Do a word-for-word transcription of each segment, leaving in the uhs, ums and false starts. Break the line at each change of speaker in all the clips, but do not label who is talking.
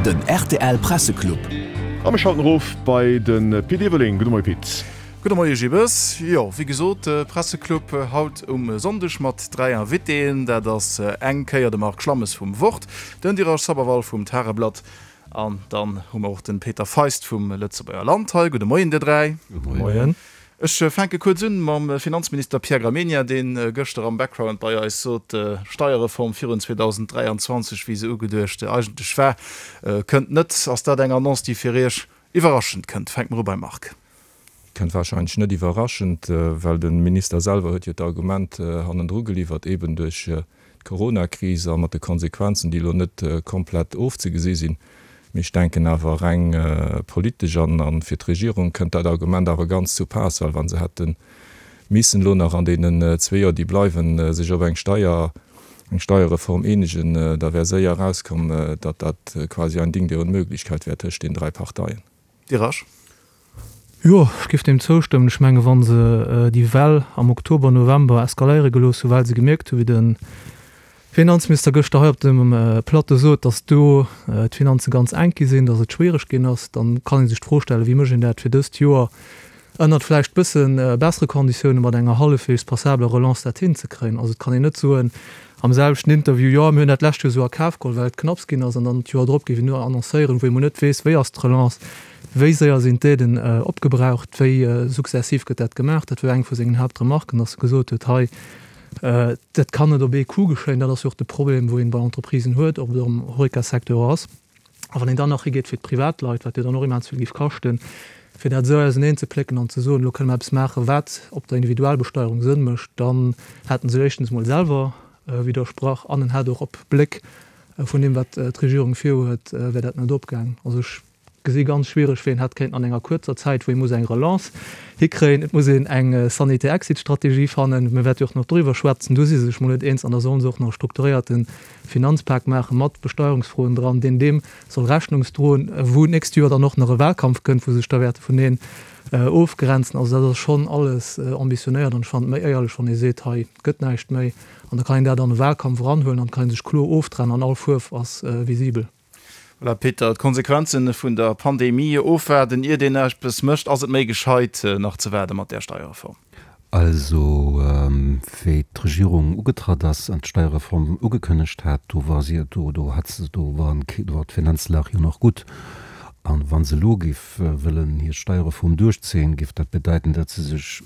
Den rtl Presseclub.
A mir schalten erof bei de Pit Everling. Gudde Moie Pit.
Gudde Moie Gibes. Jo, wéi gesot, Presseclub haut um Sonndeg mat dräi Invitéen. Dat ass eng Kéier de Marc Schlammes vum Wort, den Dheeraj Sabharwal vum Tageblatt an dann hu mer och de Peter Feist vum Lëtzebuerger Land hei. Gudde Moien dir dräi.
Gudde Moien.
Ech fänke kuerz un mam Finanzminister Pierre Gramegna, deen gëschter am Background bei eis sot, Steierreform virun zweedausend dräianzwanzeg, wéi se ugeduecht eigentlech war, kënnt net. Ass dat eng Annonce, déi fir Iech iwwerraschend kënnt? Fänke mer u beim Marc.
Kënnt wahrscheinlech net iwwerraschend, well de Minister selwer huet jo d'Argument hannendru geliwwert, eben duerch d'Coronakris a mat de Konsequenzen, déi elo net komplett ofzegesi sinn. Mee ech denken awer, reng politesch an fir d'Regierung kënnt dat Argument awer ganz zu Paass, well wa se hätte missen elo nach an deenen zwee Joer, déi bleiwen, sech op eng Steier, eng Steierreform eenegen, da wär séier erauskomm, datt dat quasi ein Ding der Unmöglichkeit wär tëscht den dräi Parteien.
Dheeraj.
Jo, ech géif deem zoustëmmen. Ech menge wa se déi Well am Oktober, November eskaléiere gelooss hu well se gemierkt hu wéi de Finanzminister gëschter hei op dem Plateau sot, datt do d'Finanze ganz enk gi sinn, datt et schwiereg ginn ass, dann kann ee sech d'Fro stellen, wéi mécht een dat fir dëst Joer ënnert vläicht bësse bessere Konditioune mat enger hallefweegs passabeler Relance dat hinzekréien. Also et kann een net soen am selwechten Interview, jo mir hunn dat lescht Joer esou a Kaf geholl, well et knapps ginn ass, an dann d'Joer drop géif een nur annoncéieren, wou ee mol net weess, wéi ass d'Relance, wéi séier sinn d'Aiden opgebraucht, wéi sukzessiv gëtt dat gemaach. Dat war eng vu sengen Haaptremarken, datt e gesot huet, hei dat kann net op ee Coup geschéien. Dat ass jo och de Problem, wou een bei Entreprisen huet, ob et am Horeca-Secteur ass. A wann een dann nach higeet fir d'Privatleit, wat jo dann och immens vill géif kaschten, fir dat esou auseneen ze plécken an ze soen, elo kënne mer eppes maachen, wat op der Individualbesteuerung Sënn mécht, dann hätt en sech éischtens emol selwer widdersprach an en hätt och op Bléck vun deem, wat d'Regierung virhuet, wär dat net opgaang. Also ech gesi ganz schwiereg, wéi een hätt kéinten an enger kuerzer Zäit, wou ee muss eng Relance hikréien, et muss een eng sanitär Exit-Strategie fannen, mir wäerte jo och nach doriwwer schwätzen, do si se sech mol net eens, an da sollen se och nach e strukturéierte Finanzpak maache mat Besteuerungsfroen dran, deen deem soll Rechnungsdroen, wou d'nächst Joer dann och nach e Wahlkampf kënnt, wou se sech da wäerte vuneen ofgrenzen. Also dat ass schonn alles ambitionéiert an ech fannen et méi éierlech, wann ee seet, hei gëtt näischt méi, an da kann een dat an e Wahlkampf eranhuelen an kann ee sech kloer oftrennen an all Fuerf ass visibel.
Voilà, Peter, d'Konsequenzen vun der Pandemie ofwaarden, iert een eppes mécht. Ass et méi gescheit, nach ze waarde mat där Steierreform?
Also, wéi d'Regierung ugetratt ass an d'Steierreform ugekënnegt hat, do war si, do, do hat se, do waren, do war d'Finanzlag jo nach gutt. An wa se elo géif wëllen hir Steierreform duerchzéien, géif dat bedeiten, datt se sech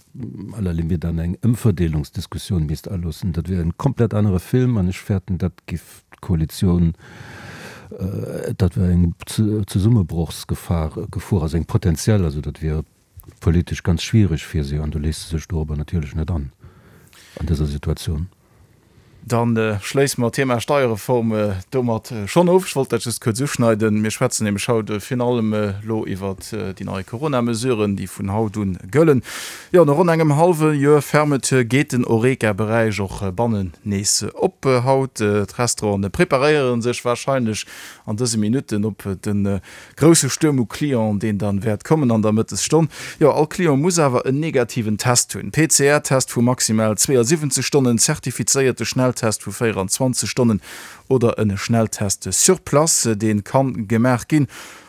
à la limite an eng Ëmverdeelungsdiskussioun misst aloossen. Dat wier en komplett anere Film an ech fäerten, dat géif d'Koalitioun, dat wär eng Zesummebrochsgefahr, Gefor, also eng potenziell, also dat wier politesch ganz schwiereg fir si an do léisst se sech dorobber natierlech net an, an dëser Situatioun.
Dann schléisse mer d'Thema Steierreform domat schonn of. Ech wollt dat just kuerz uschneiden. Mir schwätzen nämlech haut virun allem elo iwwert déi nei Corona-Mesuren, déi vun haut un gëllen. Jo, no ronn engem hallwe Joer Fermeture geet den Horeca-Beräich och bannen nees op haut. D'Restaurante preparéiere sech warscheinlech an dëse Minutten op de grousse Stuerm u Clienten, deen dann wäert kommen an der Mëttesstonn. Jo, all Client muss awer en negativen Test hunn, P C R-Test vu maximal zweeasiwwenzeg Stonnen, zertifizéierte Schnelltest vu véieranzwanzeg Stonnen oder en Schnelltest sur place, dee kann gemaach ginn.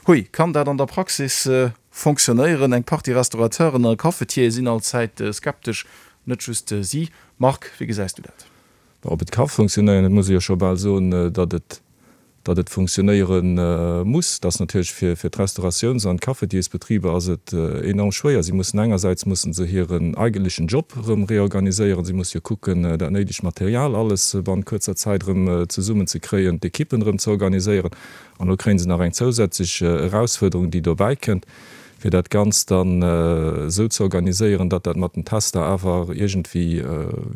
Hui, kann dat an der Praxis fonctionnéieren? Eng Partie Restaurateuren a Cafetiere sinn allzäit skeptesch, net just si. Marc, wéi gesäis du dat?
Ob et ka funktionéieren, et muss ee jo scho bal soen, datt et datt et funktionéiere muss. Dat ass natierlech fir fir d'Restauratiouns an d'Cafetiersbetriber ass et enorm schwéier. Si mussen engersäits mussen se hiren eigentlechen Job erëm reorganiséieren. Si musse jo kucken, dat néidegt Material alles bannent kuerzer Zäit erëm zesummen ze kréien, d'Ekippen erëm ze organiséieren. An elo kréie se nach eng zousätzlech Erausfuerderung, déi dobäi kënnt, fir dat Ganzt dann esou ze organiséieren, datt dat mat den Tester awer iergendwéi,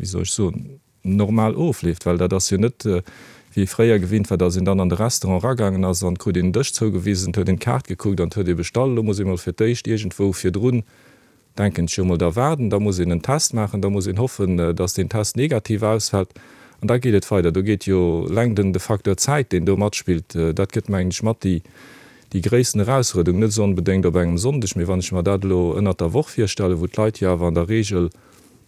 wéi soll ech soen, normal ofleeft, well dat ass jo net wéi ee fréier gewinnt war, datt een dann an de Restaurant eragaangen ass an et krut een en Dësch zougewisen, et huet een d'Kaart gekuckt an et huet ee bestallt. Elo muss ee mol fir d'éischt iergendwou virdrun, denken ech jo mol, da waarden, da muss een en Test maachen, da muss een hoffen, datt deen Test negativ ausfält an da geet et weider. Do geet jo eleng den de Facteur Zäit, deen do matspillt, dat gëtt mengen ech mat déi déi gréissten Erausfuerderung, net esou onbedéngt op engem Sonndeg, mee wann ech mer dat elo ënnert der Woch virstellen, wou d'Leit jo awer an der Regel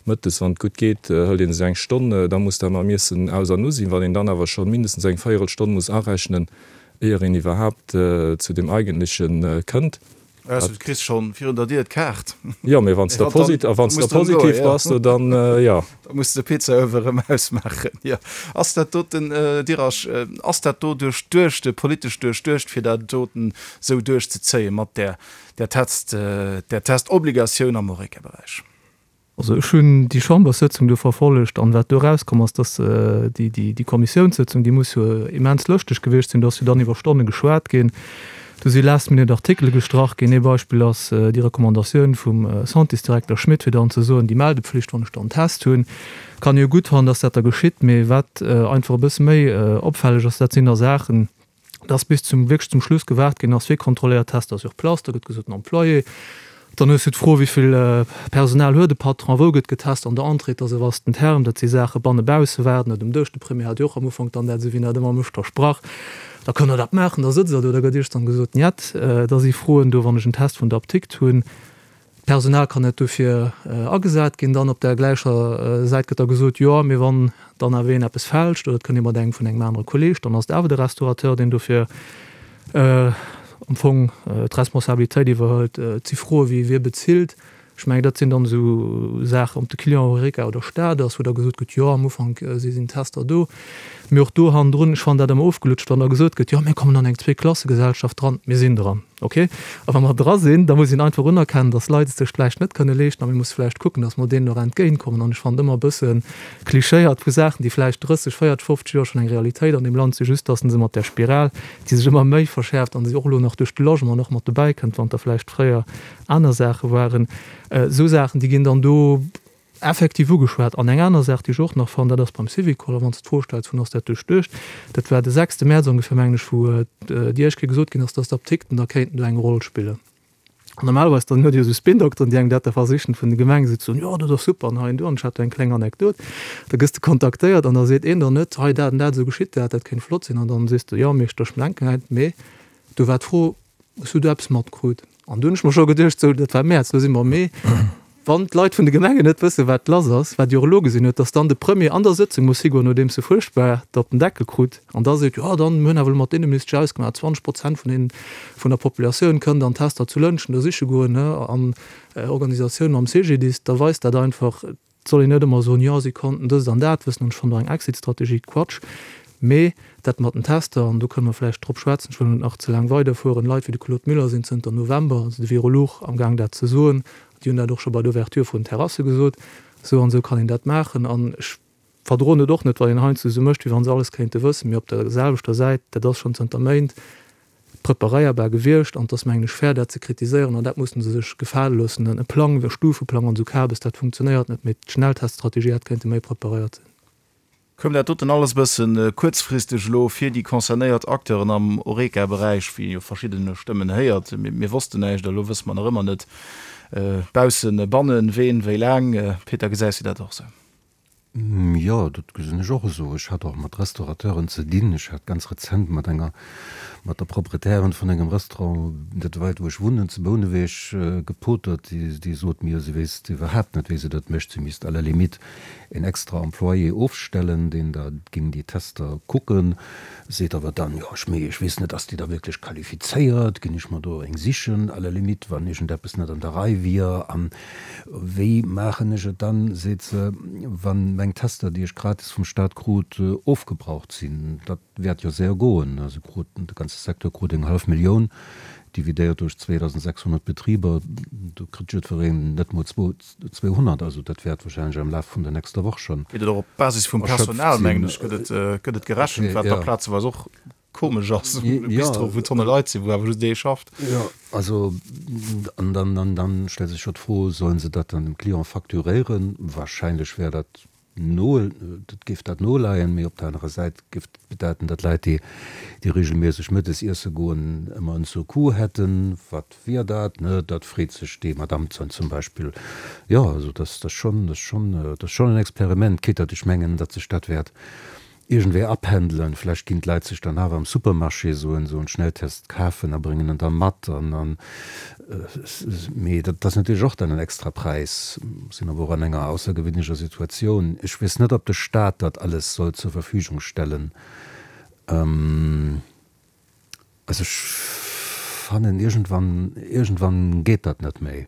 mëttes, wann et gutt geet, hëlt ee sech eng Stonn, da muss dat mam Iessen aus an u sinn. Wann een dann awer scho mindestens eng Véierelstonn muss arechnen, éier een iwwerhaapt zu deem Eigentleche kënnt.
Also du kriss schonn virun der Dier d'Kaart.
Jo, mee wann s de posit a wann s de positiv bass, do dann jo.
Da muss de Pizzauewe rëm ausmaachen, jo. Ass dat doten, Dirasch, ass dat do duerchduecht, politesch duerchduecht, fir dat doten esou duerchzezéien mat där, där Test, där Testobligatioun am Horeca-Beräich?
Also ech hunn déi Chamberssëtzung do verfollegt an wat do erauskomm ass, dass déi, déi, déi Kommissiounssëtzung, déi muss jo immens lëschteg gewiescht sinn, do ass jo dann iwwer Stonne geschwat ginn, do si last minute Artikele gestrach ginn. Ee Beispill ass déi Recommandatioun vum Santésdirekter Schmit, fir dann ze soen, déi Meldepflicht, wann ech dann Test hunn, kann ee jo gutt fannen, dass dat da geschitt, mee wat einfach e bësse méi opfälleg ass, dat sinn da Saachen, dass bis zum, wierklech zum Schluss gewaart ginn ass, wie kontrolléiert Tester sur place, da gëtt gesot den Employé. Dann hues du d'Fro, wéi vill Personal huet de Patron, wou gëtt getest an der Entrée, dass e vasten Term, dat si Saache banne bausse waarden net um Dësch. De Premier hat jo och am Ufank dann dat, esou wéi en dat ëmmer mécht, versprach, da kënnt der dat maachen, da sëtzt der do, da gëtt iech dann gesot, Njet, da si Froen do, wann ech en Test vun der Apdikt hunn, d'Personal kann net dofir agesat ginn. Dann op där gläicher Säit gëtt da gesot, jo, mee wann dann awer een eppes fälscht oder et kënnt ee mat engem vun engem anere Kolleeg, dann ass et awer de Restaurateur, deen dofir am Fong d'Responsabilitéit iwwerhëlt. Et si Froe wéi, Wie bezilt? Ech mengen, dat sinn dann esou Saachen, ob de Client Horeca oder Staat ass, wou da gesot gëtt, jo, am Ufank si sinn d'Tester do. Mee och do hannendrun, ech fannen dat ëmmer ofgelutscht, wann da gesot gëtt, jo, mir kommen an eng Zweeklassegesellschaft dran. Mir sinn dran, okay. A wa mer dra sinn, da muss een einfach unerkennen, dass Leit et sech vläicht net kënne leeschten a mir musse vläicht kucken, dass mer deenen och entgéintkommen. An ech fannen et ëmmer e bësse klichéiert vu Saachen, déi vläicht drësseg, véierteg, fofzeg Joer schonn eng Realitéit an deem Land sinn, just dass se mat där Spiral, déi sech ëmmer méi verschäerft an déi och elo nach duerch de Logement och mat dobäi kënnt, wann der vläicht fréier aner Saache waren, esou Saachen, déi ginn dann do effektiv ugeschwat. An eng aner Saach, déi ech och nach fannen, dat ass beim Syvicol, a wann s de d'Fro stells, vun ass dat duerchduecht, dat war de sechste Mäerz ongeféier, mengen ech, wou déi éischt Kéier gesot ginn ass, dass d'Apdikten da kéinten do eng Roll spillen. An normalerweis dann huet Dir esou Spin-Dokteren, déi engem dat da versichen vun de Gemenge esou ze soen, jo dat ass super an hei an do. An ech hat do eng kleng Anekdot, da gëss de kontaktéiert an da seet een der net, hei dat an dat, esou geschitt dat, dat kéint flott sinn. An dann sees de, jo mee ech denken hei, mee do war d'Fro, Hues du do eppes matkrut? An du hunn ech mer scho geduecht, sou, dat war Mäerz, elo si mer am Mee, wann d'Leit vun de Gemengen net wëssen, wat lass ass, wat Dir och elo gesinn hutt, dass dann de Premier an der Sëtzung muss higoen, nodeems e fuerchtbar der op den Deckel krut, an da seet, jo dann, mir hunn awer elo mat Inneministesch ausgemaach, zwanzeg Prozent vun den, vun der Populatioun kënnt an Tester zu Lëntgen do siche goen, ne, an Organisatioun mam CGDIS, da weist dat einfach, Et soll een net ëmmer soen, jo si konnten dëst an dat wëssen an ech fannen do eng Exit-Strategie Quatsch. Mee dat mat den Tester, an do kënne mer vläicht drop schwätzen, ech wëll net nach ze laang weiderfueren, Leit wéi de Claude Muller sinn zënter November, also de Virolog, amgaang dat ze soen, déi hunn dat och scho bei der Ouverture vun den Terrasse gesot, esou an esou kann een dat maachen. An ech verdroen et och net, wann een heiansdo esou mécht, wéi wa se alles kéinte wëssen. Mee op der selwechter Säit, dat ass schonn zënter Méint preparéierbar gewiescht an et ass, mengen ech, fair, dat ze kritiséieren an dat musse se sech gefale loossen. E Plang, e Stufeplang an esou Kabes, dat funktionéiert net, mee d'Schnellteststrategie hätt kéinte méi preparéiert sinn.
Koum dat doten alles e bësse kuerzfristeg elo fir déi concernéiert Acteuren am Horeca-Beräich, wéi ee jo verschidden Stëmmen héiert, Mir wossten näischt a lo wësse mer nach ëmmer net, baussen, bannen, ween, wéi laang. Peter, gesäis du dat och esou?
Jo, dat gesinn ech och esou. Ech hat och mat Restaurateuren ze dinn. Ech hat ganz rezent mat enger, mat der Proprietärin vun engem Restaurant net wäit wou ech wunnen, zu Bouneweg, gepotert. Déi, déi sot mir, si wéisst iwwerhaapt net, wéi se dat mécht. Si misst à la limite een extra Employé ofstellen, deen da géing déi Tester kucken. Seet awer dann, jo, ech, mee ech weess net, ass déi da wierklech qualifizéiert? Ginn ech mer do eng sichen, à la limite, wann iergendeppes net an der Rei wier? An wéi maachen ech et dann, seet se, wann meng Tester, déi ech gratis vum Staat krut, ofgebraucht sinn? Dat wäert jo séier goen. Se kruten, de ganze Secteur krut eng hallef Millioun, dividéiert duerch zweedausendsechshonnert Betriber, do kritt jiddwereen net mol zweehonnert. Also dat wäert wahrscheinlech am Laf vun der nächster Woch schonn
Geet et och op Basis vum
erschöpft
Personal, mengen
sinn.
ech, gëtt et, gëtt et gerechent, wat da plazeweis och komesch ass, e
Jo.
Bistro, wou Tonne Leit sinn, wou awer just ee schafft.
Jo, also an dann, an dann stellt sech jo d'Fro, Sollen se dat dann dem Client facturéieren? Wahrscheinlech wär dat no, dat géif dat noleien, mee op der anerer Säit géif dat bedeiten, datt Leit, déi, déi regelméisseg mëttes iesse goen, ëmmer en Surcoût hätten. Wat wier dat, ne? Dat freet sech déi Madame zum Beispill. Jo, also dat ass schonn, dat ass schonn, dat ass schonn en Experiment, quitte datt ech mengen, datt sech dat wäert iergendwéi apendelen. Vläicht ginn d'Leit sech dann awer am Supermarché esou en esou en Schnelltest kafen a bréngen en da mat an an mee dat ass natierlech och dann en extra Präis. Sinn awer och an enger aussergewéinlecher Situatioun. Ech weess net, ob de Staat dat alles soll zur Verfügung stellen. Also ech fannen, iergendwann, iergendwann geet dat net méi.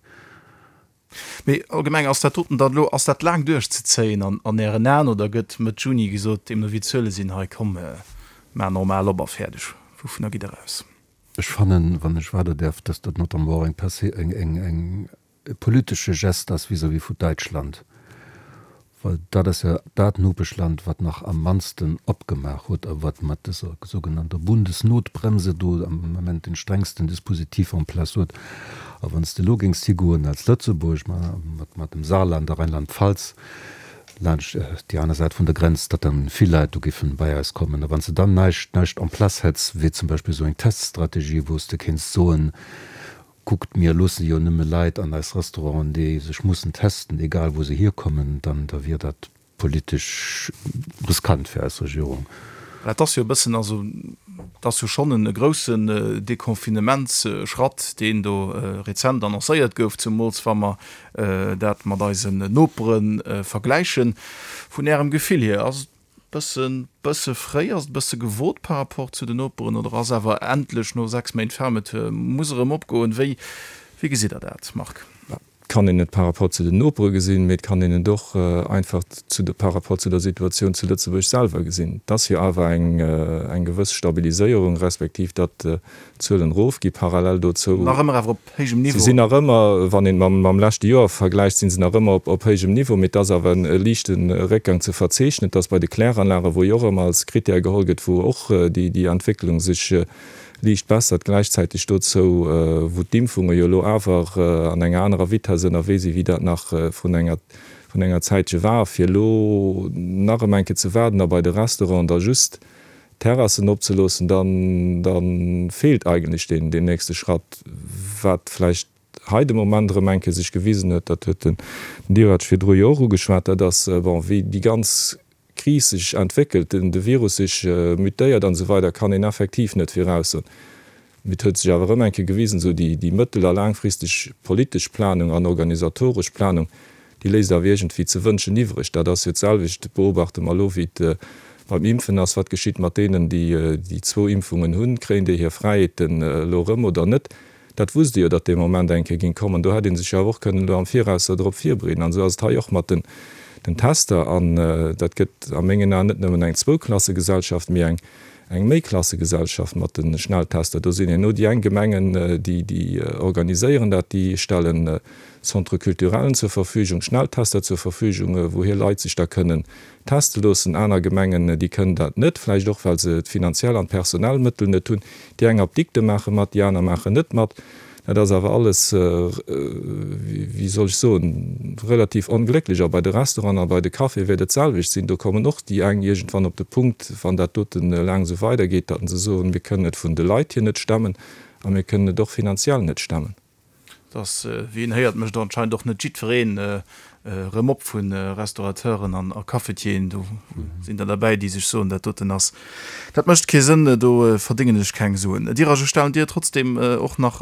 Mee allgemeng, ass dat doten dann elo, ass dat laang duerchzezéien an an Ären Aen oder gëtt Mëtt Juni gesot, deemno wéi d'Zuele sinn, hei komm, maach normal op a fäerdeg? Wouvunner gitt Der aus?
Ech fannen, wann ech weider däerf, dass dat notamment och eng Perse-, eng, eng, eng, e politesche Geste ass vis-à-vis vu Däitschland, well dat ass jo dat Nopeschland, wat nach am mannsten opgemaach huet a wat mat dëser sougenannter Bundesnotbremse do am Ament den strengsten Dispositif en place huet. A wann s de elo géings higoen als Lëtzebuerg mat dem Saarland a Rheinland-Pfalz laanscht déi aner Säit vun der Grenz, datt dann vill Leit do géifen bei eis kommen. A wann s de dann näischt, näischt en place hätts, wéi zum Beispill esou eng Teststrategie, wou s de kéints soen, Kuckt, mir loosse jo nëmme Leit an eis Restauranten, déi sech mussen testen, egal wou se hierkommen, dann da wier dat politesch riskant fir eis Regierung.
Dat ass jo e bëssen, also et ass jo schonn e groussen Deconfinementsschratt, deen do rezent annoncéiert gouf, zumools wa mer dat mat eisen Nopere vergläichen. Vun Ärem Gefill hier, ass et Bëssen, bësse fréi? Ass et e bësse gewot par rapport zu den Noperen oder ass awer endlech no sechs Méint Fermeture, muss erëm opgoen? Wéi, wéi gesitt Der dat, Marc?
Et kann een et par rapport zu den Nopere gesinn, mee et kann een et och einfach zu de, par rapport zu der Situatioun zu Lëtzebuerg selwer gesinn. Et ass jo awer eng, eng gewëss Stabiliséierung, respektiv datt d'Zuelen erofgi parallel dozou.
Nach ëmmer awer op héijem
Niveau. Se sinn nach ëmmer, wann een et mam leschte Joer vergläicht, si se nach ëmmer op héijem Niveau, mee et ass awer e liichte Réckgang ze verzeechnen. Et ass bei de Kläranlagen, wou jo och ëmmer als Krittär geholl gëtt, wou och déi Entwécklung sech liicht bessert, gläichzäiteg dozou, wou d'Impfunge jo elo awer an enger anerer Vitesse ënnerwee sinn, wéi dat nach vrun enger vrun enger Zäitche war, fir elo nach erëm eng Kéier ze waarden a bei de Restauranten da just Terrassen opzeloossen, dann da feelt eigentlech deen deen nächste Schratt, wat vläicht hei de Moment erëm eng Kéier sech gewisen huet, dat huet den Dirac virdru jo och ugeschwat, dat ass, bon, wéi déi ganz Kris sech entwéckelt, den de Virus sech mutéiert an esou weider, kann een effektiv net viraussoen. Mee et huet sech awer erëm eng Kéier gewisen, esou déi déi mëttel a laangfristeg politesch Planung an organisatoresch Planung, déi léisst awer iergendwéi ze wënschen iwwreg. Dat ass jo d'selwecht, beobachte mer elo, wéi et beim Impfen ass. Wat geschitt mat deenen, déi déi zwou Impfungen hunn? Kréien déi hir Fräiheeten elo erëm oder net? Dat wusst ee jo, datt dee Moment eng Kéier géing kommen. Do hätt ee sech jo awer och kënnen elo am Viraus drop virbereeden. An esou ass et hei och mat den Tester. An dat gëtt a mengen Aen net nëmmen eng Zwouklassegesellschaft, mee eng eng Méiklassegesellschaft mat de Schnelltester. Do sinn herno déi eng Gemengen, déi déi organiséieren dat, déi stellen Centres culturellen zur Verfügung, Schnelltester zur Verfügung, wou hir Leit sech da kënnen teste loossen. Aner Gemengen, déi kënnen dat net, vläicht och well se d'finanziell an d'personell Mëttel net hunn. Déi eng Apdikte maache mat, déi aner maachen net mat. Dat ass awer alles, wéi soll ech soen, relativ onglécklech. A bei de Restauranten a bei de Caféë wäert et d'selwecht sinn. Do kommen och déi eng iergendwann op de Punkt, wann dat doten laang esou weidergeet, datt se soen, mir kënnen et vun de Leit hier net stemmen a mir kënnen et och finanziell net stemmen.
Dass, wéi een héiert, mécht anscheinend och net jiddwereen erëm op vu Restaurateuren an a Cafetieren. Do sinn der derbäi, déi sech soen, dat doten ass, dat mécht kee Sënn, do verdéngen ech keng Suen. Dirac, ech stellen dir trotzdeem och nach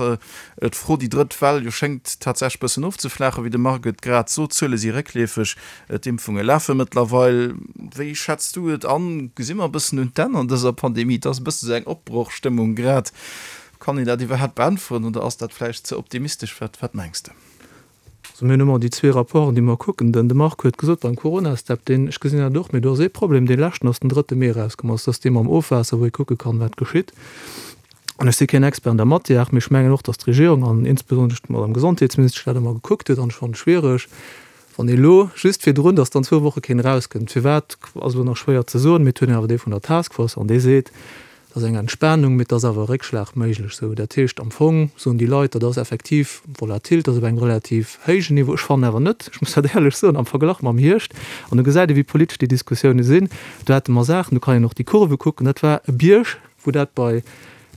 d'Fro, déi drëtt Well jo schéngt tatsächlech bëssen ofzeflaachen, wéi de Marc et grad sot, d'Zuele si réckleefeg, d'Impfunge lafe mëttlerweil. Wéi schätz du et an? Gesi mer e bëssen un d'Enn an dëser Pandemie? Et ass e bësse sou eng Opbrochstëmmung grad. Kann een dat iwwerhaapt beäntweren oder ass dat vläicht ze optimistesch? Wat, wat mengs de?
Also mir hunn ëmmer déi zwee Rapporten, déi mer kucken. Den de Marc huet gesot beim Coronastep, deen, ech gesinn dat och, mee do ass ee Problem, dee leschten ass den drëtte Mee erauskomm, also dat ass dee mam Ofwaasser, wou ee kucke kann, wat geschitt. An ech si keen Expert an der Matière, mee ech mengen och, datt d'Regierung an insbesonnesch d'Madame Gesondheetsministesch dat ëmmer gekuckt huet. An ech fannen et schwiereg, wann ee elo just virdrun, datt dann zwou Woche keen erauskënnt. Firwat, ass elo nach schwéier ze soen, mee et huet een awer dee vun der Taskforce an dee seet, Et ass eng Entspanung, mee et ass awer e Réckschlag méiglech. Sou, dat heescht am Fong soen déi Leit, dat ass effektiv volatil, dat ass op engem relativ héijen Niveau. Ech fannen awer net, ech muss dat éierlech soen, am Verglach mam Hierscht, an do gesäit ee wéi politesch déi Diskussioune sinn, do hate mer Saachen, do kann een och déi Kurve kucken, dat war e Bierg, wou dat bei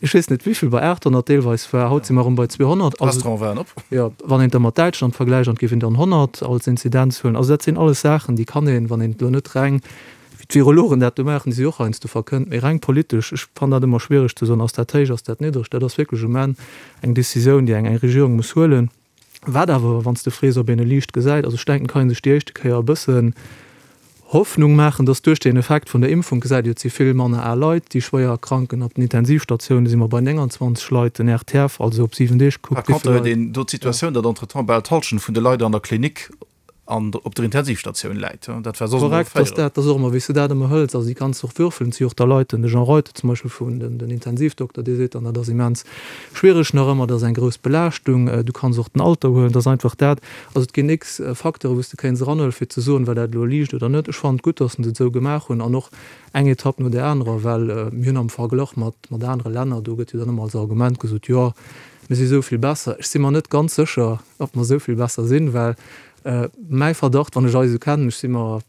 ech weess net wéivill, bei aathonnert deelweis war, haut si mer erëm bei zweehonnert. Also,
D'Restaurante waren op.
jo, wann een et da mat Däitschland vergläicht, an et géif een dann honnert als Inzidenz huelen. Also dat sinn alles Saachen, déi kann een, wann een et elo net reng Wéi d'Virologen dat do maachen, déi si och heiansdo verkënnt, mee reng politesch, ech fannen dat ëmmer schwiereg ze soen, ass dat héich, ass dat niddreg, dat ass wierklech um Enn eng Décisioun, déi eng eng Regierung muss huelen. Wat awer, wann s de frees, ob een e liicht gesäit, also ech denken, kann ee sech déi éischte Kéier e bëssen Hoffnung maachen, dass duerch den Effekt vun der Impfung, gesäit Dir, et si vill manner al Leit, déi schwéier erkranken. Op den Intensivstatioune si mer bei nénganzwanzeg Leit, den R T F, also op siwen Deeg
Par
gekuckt, wéi
contre
vill
huet
Leit.
een do d'Situatioun, datt entretemps bal d'Hallschent vun de Leit an der Klinik an op der Intensivstatioun läit. Dat war soss ëmmer
Korrekt, dass
véierel.
dat ass och ëmmer, wéi s de dat ëmmer hëls. Also déi kanns de och würfelen. Et si och da Leit, den Jean Reuter zum Beispill vun den, den Intensivdokter, dee seet dann, dat ass immens schwiereg nach ëmmer, dat ass eng grouss Belaaschtung. Du kanns och den Alter huelen, dat ass einfach dat. Also et ginn x Facteure wou s de kéints eranhuelen, fir ze soen, war dat elo liicht oder net. Ech fannen et gutt, dass se et esou gemaach hunn an och eng Etapp no där anerer, well mir hunn am Verglach mat, mat anere Länner, do gëtt jo dann ëmmer als Argument gesot, jo, mir si sou vill besser. Ech si mer net ganz sécher, ob mer sou vill besser sinn, well mäi Verdacht, wann ech eis esou kennen, ech si mer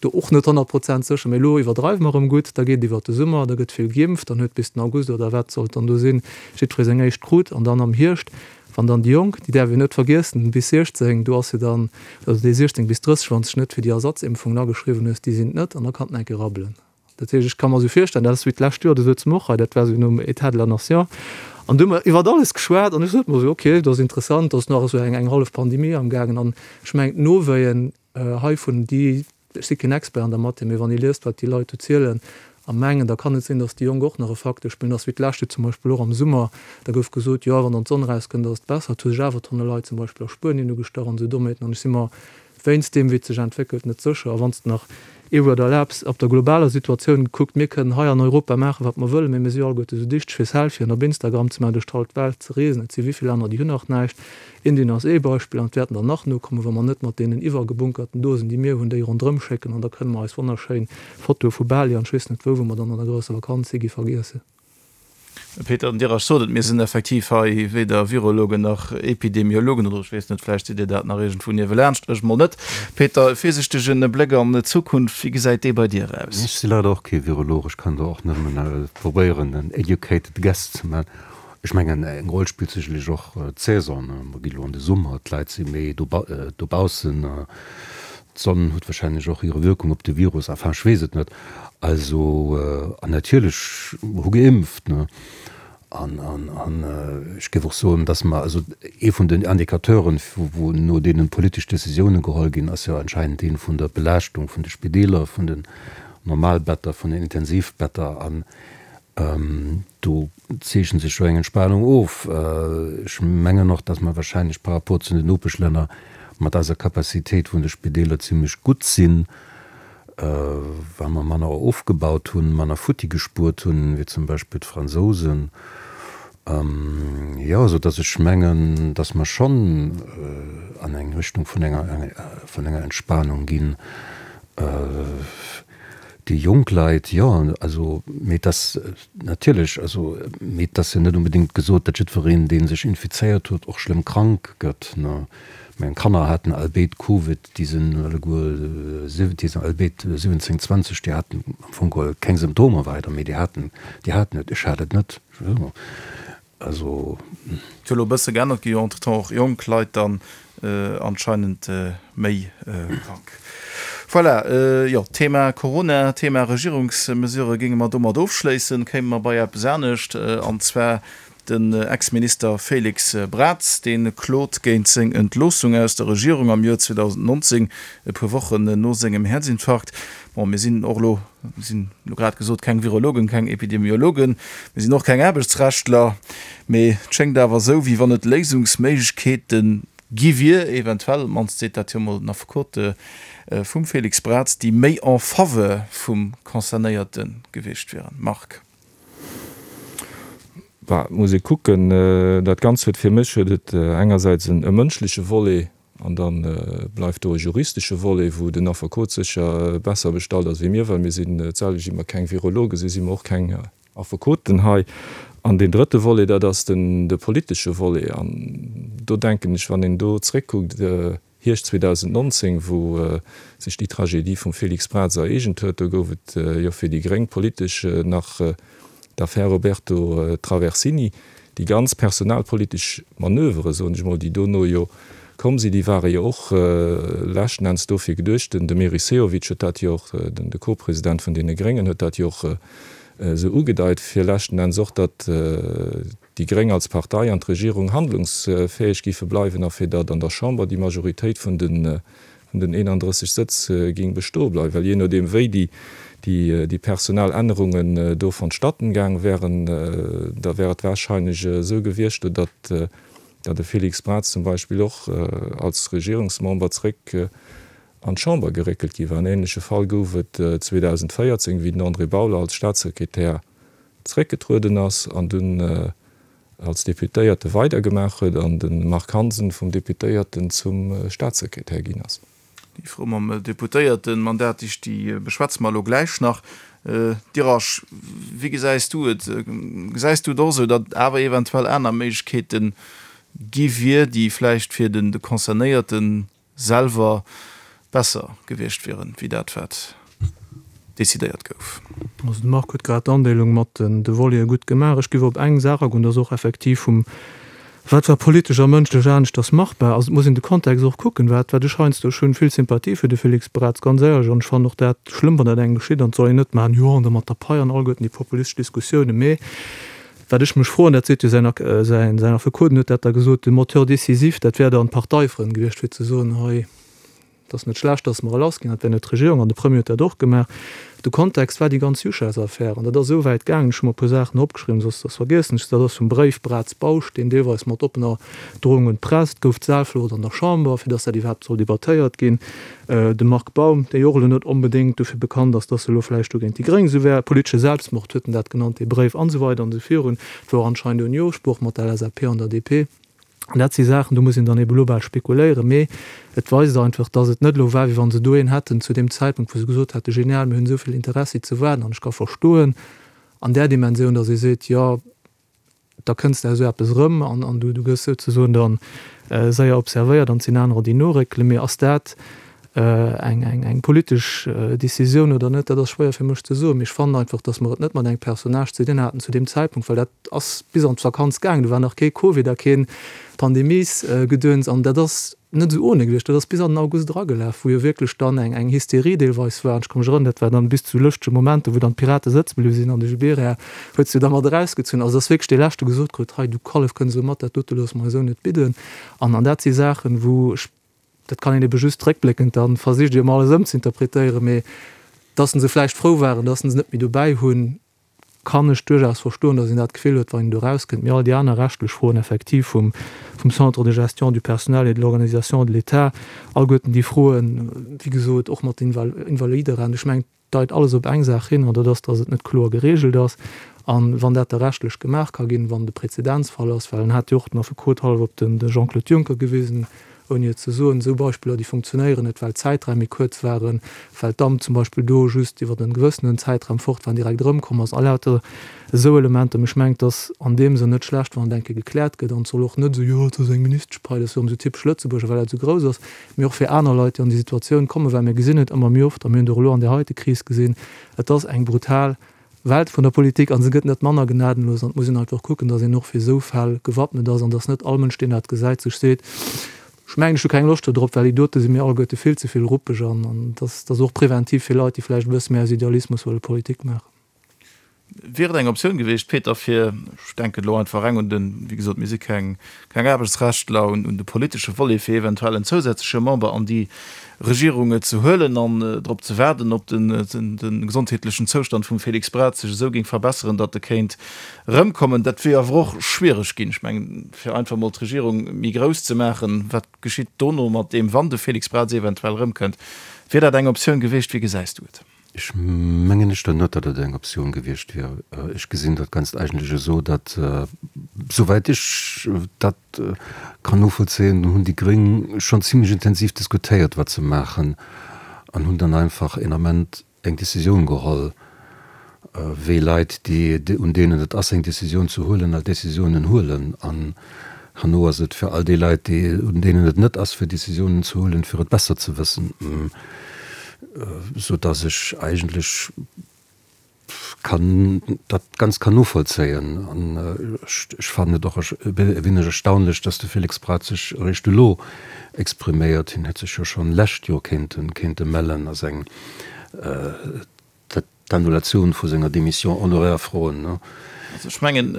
do och net honnert Prozent sécher, mee elo iwwerdreiwe mer erëm gutt, da geet et iwwert de Summer, da gëtt vill geimpft, dann huet bis den August oder wat sollt dann do sinn, jiddweree seng éischt krut an dann am Hierscht, wann dann déi Jonk, déi däerf een net vergiessen, bis siechzéng, do ass jo dann, also déi siechzéng bis drësseg, wann s de dech net fir déi Ersatzimpfungen ageschriwwen hues, déi sinn et net an da kann et enke rabbelen. Dat heescht, ech ka mer esou virstellen, dat ass wéi d'lescht Joer, do souze mer och hei, dat war esou nom État de la nation, an do hu mer iwwert alles geschwat an ech sot mer esou, okay, dat ass interessant, do ass nach esou eng, eng hallef Pandemie amgaangen an ech mengen d'Nowéien heivun, déi, ech si keen Expert an der Matière, mee wann ee liest, wat déi Leit do zielen a mengen, da kann et sinn, datt déi Jonk och nach e Facteur spillen. Dat ass wéi d'lescht Joer zum Beispill och am Summer, da gouf gesot, jo, wann dann d'Sonn erauskënnt, ass et besser. Et hu sech awer Tonne Leit zum Beispill a Spuenien ugestach an esou Dommheeten an ech si mer wéinst deem, wéi et sech entwéckelt, net sécher. A wann s de nach ee Wuert erlaabs, op der globaler Situatioun gekuckt, mir kënnen hei an Europa maachen, wat mer wëllen, mee mir si jo alleguerte sou dichteg, fir Selfien op Instagram ze maachen, duerch d'hallef Welt ze reesen. Et si wéi vill Länner, déi hunn nach näischt. Indien ass ee Beispill an et wäerten der nach nokommen, wa mer net mat deenen iwwergebunkerten Dosen, déi mir hunn, déi ronderëm schécken an da kënne mer eis wonnerschéin Fotoe vu Bali an ech weess net wou, wou mer dann an der grousser Vakanz si gi, vergiessen.
Peter, den Dirac sot et, mir sinn effektiv hei weder Virologen nach Epidemiologen, oder ech weess net, vläicht sidd Dir dat nach iergendwou niewelaanscht, ech mol net. Peter, e virsichtegen Bléck an d'Zukunft, wéi gesäit dee bei dir aus?
Ech si leider och kee Virolog, ech kann do och nëmmen probéieren en educated guess ze man. Ech mengen, eng Roll spillt sécherlech och d'Saison. Mer gi lo an de Summer, d'Leit si méi dobaussen, d'Sonn huet wahrscheinlech och hire Wirkung op de Virus, enfin ech weess et net. Also, an natierlech hu geimpft, ne. An, an, an ech géif och soen, dass mer, also ee vun den Indicateuren, wou no deenen politesch Décisiounen geholl ginn, ass jo anscheinend dee vun der Belaaschtung vun de Spideeler, vun den Normalbetter, vun den Intensivbetter. An do zeechent sech jo eng Entspanung of. Ech mengen och, dass mer wahrscheinlech par rapport zu den Nopeschlänner mat eiser Capacitéit vun de Spideeler zimlech gutt sinn, well mer manner ofgebaut hunn, manner futti gespuert hunn, wéi zum Beispill d'Fransousen. Jo, esou dass ech mengen, dass mer schonn an eng Richtung vun enger, vun enger Entspanung ginn. Déi jonk Leit, jo, also, mee et ass natierlech, also, mee et ass jo net onbedéngt gesot, datt jiddwereen, dee sech infizéiert huet, och schlëmm krank gëtt, ne. Meng Kanner haten all béid Covid, déi sinn alleguer, déi sinn all béid siwwenzéng, zwanzeg, déi haten am Fong geholl keng Symptomer weider, mee déi haten, déi haten et, ech hat et net. Also.
Et huet elo e bësse geännert, gi jo entretemps och jonk Leit dann anscheinend méi krank. Voilà, jo, Thema Corona, Thema Regierungsmesurë géinge mer domat ofschléissen. Kéime mer bei eppes anescht, an zwar den Ex-Minister Félix Braz, dee klot géint seng Entloossung aus der Regierung am Joer zweedausendnonzéng, e puer Wochen no sengem Häerzinfarkt. Bon, mir sinn och elo, mir sinn elo grad gesot, keng Virologen, keng Epidemiologen, mir sinn och keng Aarbechtsrechtler, mee et schéngt awer esou, wéi wann et Léisungsméiglechkeete gi wier, eventuell, op d'mannst seet dat jo mol den Affekot vum Félix Braz, déi méi en faveur vum Concernéierte gewiescht wieren. Marc.
Bah, et muss ee kucken. Dat Ganzt huet fir mech huet et engersäits en mënschleche Volet an da bleift do e juristesche Volet, wou den Affekot sécher besser bestallt ass wéi mir, well mir sinn d'selwecht, wéi mer keng Virologe sinn, si mer och keng Affekoten hei. An deen drëtte Volet, dat ass den de politesche Volet. An do denken ech, wann een do zréckkuckt, Hierscht zweedausendnonzéng, wou sech déi Tragedie vum Félix Braz ereegent huet, do gouf et jo fir déi Gréng politesch nach d'Affär Roberto Traversini. Déi ganz personalpolitesch Manövere, soen ech mol, déi dono jo komm sinn, déi ware jo och leschten Enns dofir geduecht, den Meris Sehovic huet dat jo och, de Co-President vun deene Gréngen huet dat jo och esou ugedeit, fir leschten Enns och, datt déi Gréng als Partei an d'Regierung handlungsfäeg géife bleiwen a fir datt an der Chamber déi Majoritéit vun de vun den eenanddrësseg Sëtz géing bestoe bleiwen, well jee nodeem wéi déi déi personell Ännerungen do vonstatten gaang wären, da wär et wahrscheinlech esou gewiescht, datt de Félix Braz zum Beispill och als Regierungsmember zréck an d'Chamber geréckelt gi war. En ähnleche Fall gouf et zweedausendvéierzéng, wéi den André Bauler als Staatssekretär zréckgetrueden ass an dunn als Deputéierte weidergemaach huet an de Marc Hansen vum Deputéierten zum Staatssekretär ginn ass.
Déi Fro mam Deputéiertenmandat, déi beschwätze mer elo gläich nach. Dirasch, wéi gesäis du et? Gesäis du et och esou, datt awer eventuell aner Méiglechkeete gi wier, déi vläicht fir den Concernéierte selwer besser gewiescht wieren, wéi dat wat decidéiert gouf?
Also de Marc huet grad d'Andeelung mat de Voleten gutt gemaach. Ech géif op eng Saach agoen, dat ass och effektiv vum wat war politesch a mënschlech aneschters machbar. Also et muss een de Kontext och kucken, wat wat ech heiansdo, ech hunn vill Sympathie fir de Félix Braz, ganz éierlech, an ech fannen och dat schlëmm, wann dat engem geschitt, an et soll een net maachen, jo an da mat der Pai an alleguerten déi populistesch Diskussiounen. Mee wat ech mech froen, dat seet jo säin säin säin Affekot, en huet dat da gesot, de Moteur décisif, dat wär dann d'Parteifrënn gewiescht, fir ze soen, hei, Et ass net schlecht, datt mer e lassginn. Dat wär net d'Regierung an de Premier huet dat och gemaach. De Kontext war déi ganz Juchheis-Affär an dat ass esou wäit gaangen, ech hu mer e puer Saachen opgeschriwwen, soss soss vergiessen ech se, dat ass vum Bréif Braz-Bausch, deen deelweis mat oppener Drohung un d'Press, et gouf d'Saalflucht an der Chamber, fir datt dat iwwerhaapt soll debattéiert ginn. De Marc Baum, dee jo och elo net onbedéngt dofir bekannt ass, datt e elo vläicht do géint déi Gréng esou wär, politesche Selbstmord huet en dat genannt, dee Bréif, an esou weider an esou virun. Et wor anscheinend en Jo-Sproch mat der L S A P an der D P. An dat si Saachen, do muss een dann ebe lo bal spekuléieren, mee et weist einfach, dass et net elo war, wéi wa se do een hätten zu deem Zäitpunkt, wou se gesot hätten, genial, mir hunn esou vill Interessi ze waarden. An ech ka verstoen an där Dimensioun, dass ee seet, jo, da kënnst de esou eppes erëm an du gëss souzesoen da séier observéiert an et sinn anerer, déi noréckelen. Mee ass dat eng eng politesch Décisioun oder net, dat ass schwéier fir mech ze soen. Mee ech fannen einfach, datt mer et net mat engem Personnage ze dinn haten zu deem Zäitpunkt, well dat ass bis an d'Vakanz gaangen, do war nach kee Covid a keen Pandemiesgedöns an dat ass net esou ohne gewiescht. Dat ass bis an den August eragelaf, wou jo wierklech dann eng eng Hysterie deelweis war. An ech ka mech erënneren, dat war dann bis zu lëschtege Momenter, wou dann d'Pirate sëtze bliwwe sinn an de Gibéryen huet se jo da mat erausgezunn. Also et ass wierklech dee Leschte gesot krut, hei du Kallef, kënns elo mat, dat dote loosse mer eis esou net bidden. An an dat si Saachen, wou ech Dat kann een ebe just réckbléckend dann versicht ee jo emol alles ëmzeinterpretéieren, mee dass se vläicht frou waren, dass se net méi dobäi hunn, kann ech duerchaus verstoen, dass een dat Gefill huet, wann een do erauskënnt. Mee all déi aner rechtlech Froen effektiv vum vum Centre de gestion du personnel et de l'organisation de l'État, alleguerten déi Froen, wéi gesot, och mat den Invaliderent, ech mengen, deit alles op eng Saach hin, an dat ass, dass et net kloer geregelt ass. A wann dat da rechtlech gemaach ka ginn, wann de Präzedenzfall ass, well en hat jo och den Affekot hallef op den Jean-Claude Juncker gewisen, ouni et ze soen, esou Beispiller, déi funktionéieren net, well d'Zäitraim méi kuerz waren, well d'Amt zum Beispill do just iwwer e gewëssenen Zäitraum fort war an direkt erëmkomm ass, a lauter esou Elementer. Mee ech mengen, et ass an deem Sënn net schlecht, wann et eng Kéier gekläert gëtt. An et soll och net esou, jo, et ass eng Ministeschpai, dat ass jo erëm esou typesch Lëtzebuerger, well dat esou grouss ass, mee och fir aner Leit, déi an déi Situatioun kommen, well mir gesinn et ëmmer méi oft, a mir hunn et och elo an där heite Kris gesinn, et ass eng brutal Welt vun der Politik a se gëtt net manner gnadenlos. An et muss een einfach kucken, datt een och fir esou Fäll gewappnet ass an datt net all Mënsch, deen dat gesäit, sech seet, Ech mengen, ech hu keng Loscht dodrop, well déi dote si mir alleguerte vill ze vill ruppeg an dat ass och preventiv fir Leit, déi vläicht e bësse méi aus Idealismus wëlle Politik maachen.
Wier et eng Optioun gewiescht, Peter, fir, ech denken elo einfach reng un den, wéi gesot, mir si keng Aarbechtsrechtler, un de politesche Volet, fir eventuell en zousätzleche Member an déi Regierung ze huelen an drop ze waarden, ob de gesondheetlechen Zoustand vum Félix Braz sech esou géing verbesseren, datt e kéint erëmkommen? Dat wier awer och schwiereg ginn. Ech mengen, fir einfach emol d'Regierung méi grouss ze maachen, wat geschitt dono mat deem, wann de Félix Braz eventuell erëmkënnt? Wier dat eng Optioun gewiescht? Wéi gesäis du et?
Ech mengen éischter net, datt et eng Optioun gewiescht wier. Ech gesinn dat Ganzt eigentlech esou, datt, souwäit ech dat kann novollzéien, hunn déi Gréng schonn zimlech intensiv diskutéiert, wat se maachen, an hunn dann einfach een Ament eng Décisioun geholl, wéi Leit, déi, un deenen et ass, eng Décisioun ze huelen, alt Décisiounen huelen. An herno ass et fir all déi Leit, déi, un deenen et net ass, fir Décisiounen ze huelen, fir et besser ze wëssen. Sou dass ech eigentlech kann dat Ganzt kann novollzéien. An ech fannen et och e wéineg erstaunlech, dass de Félix Braz sech eréischt elo expriméiert. Hien hätt sech jo schonn lescht Joer kéinte kéinte mellen a seng d'Annulatioun vu senger Démission honoraire froen.
Also ech mengen,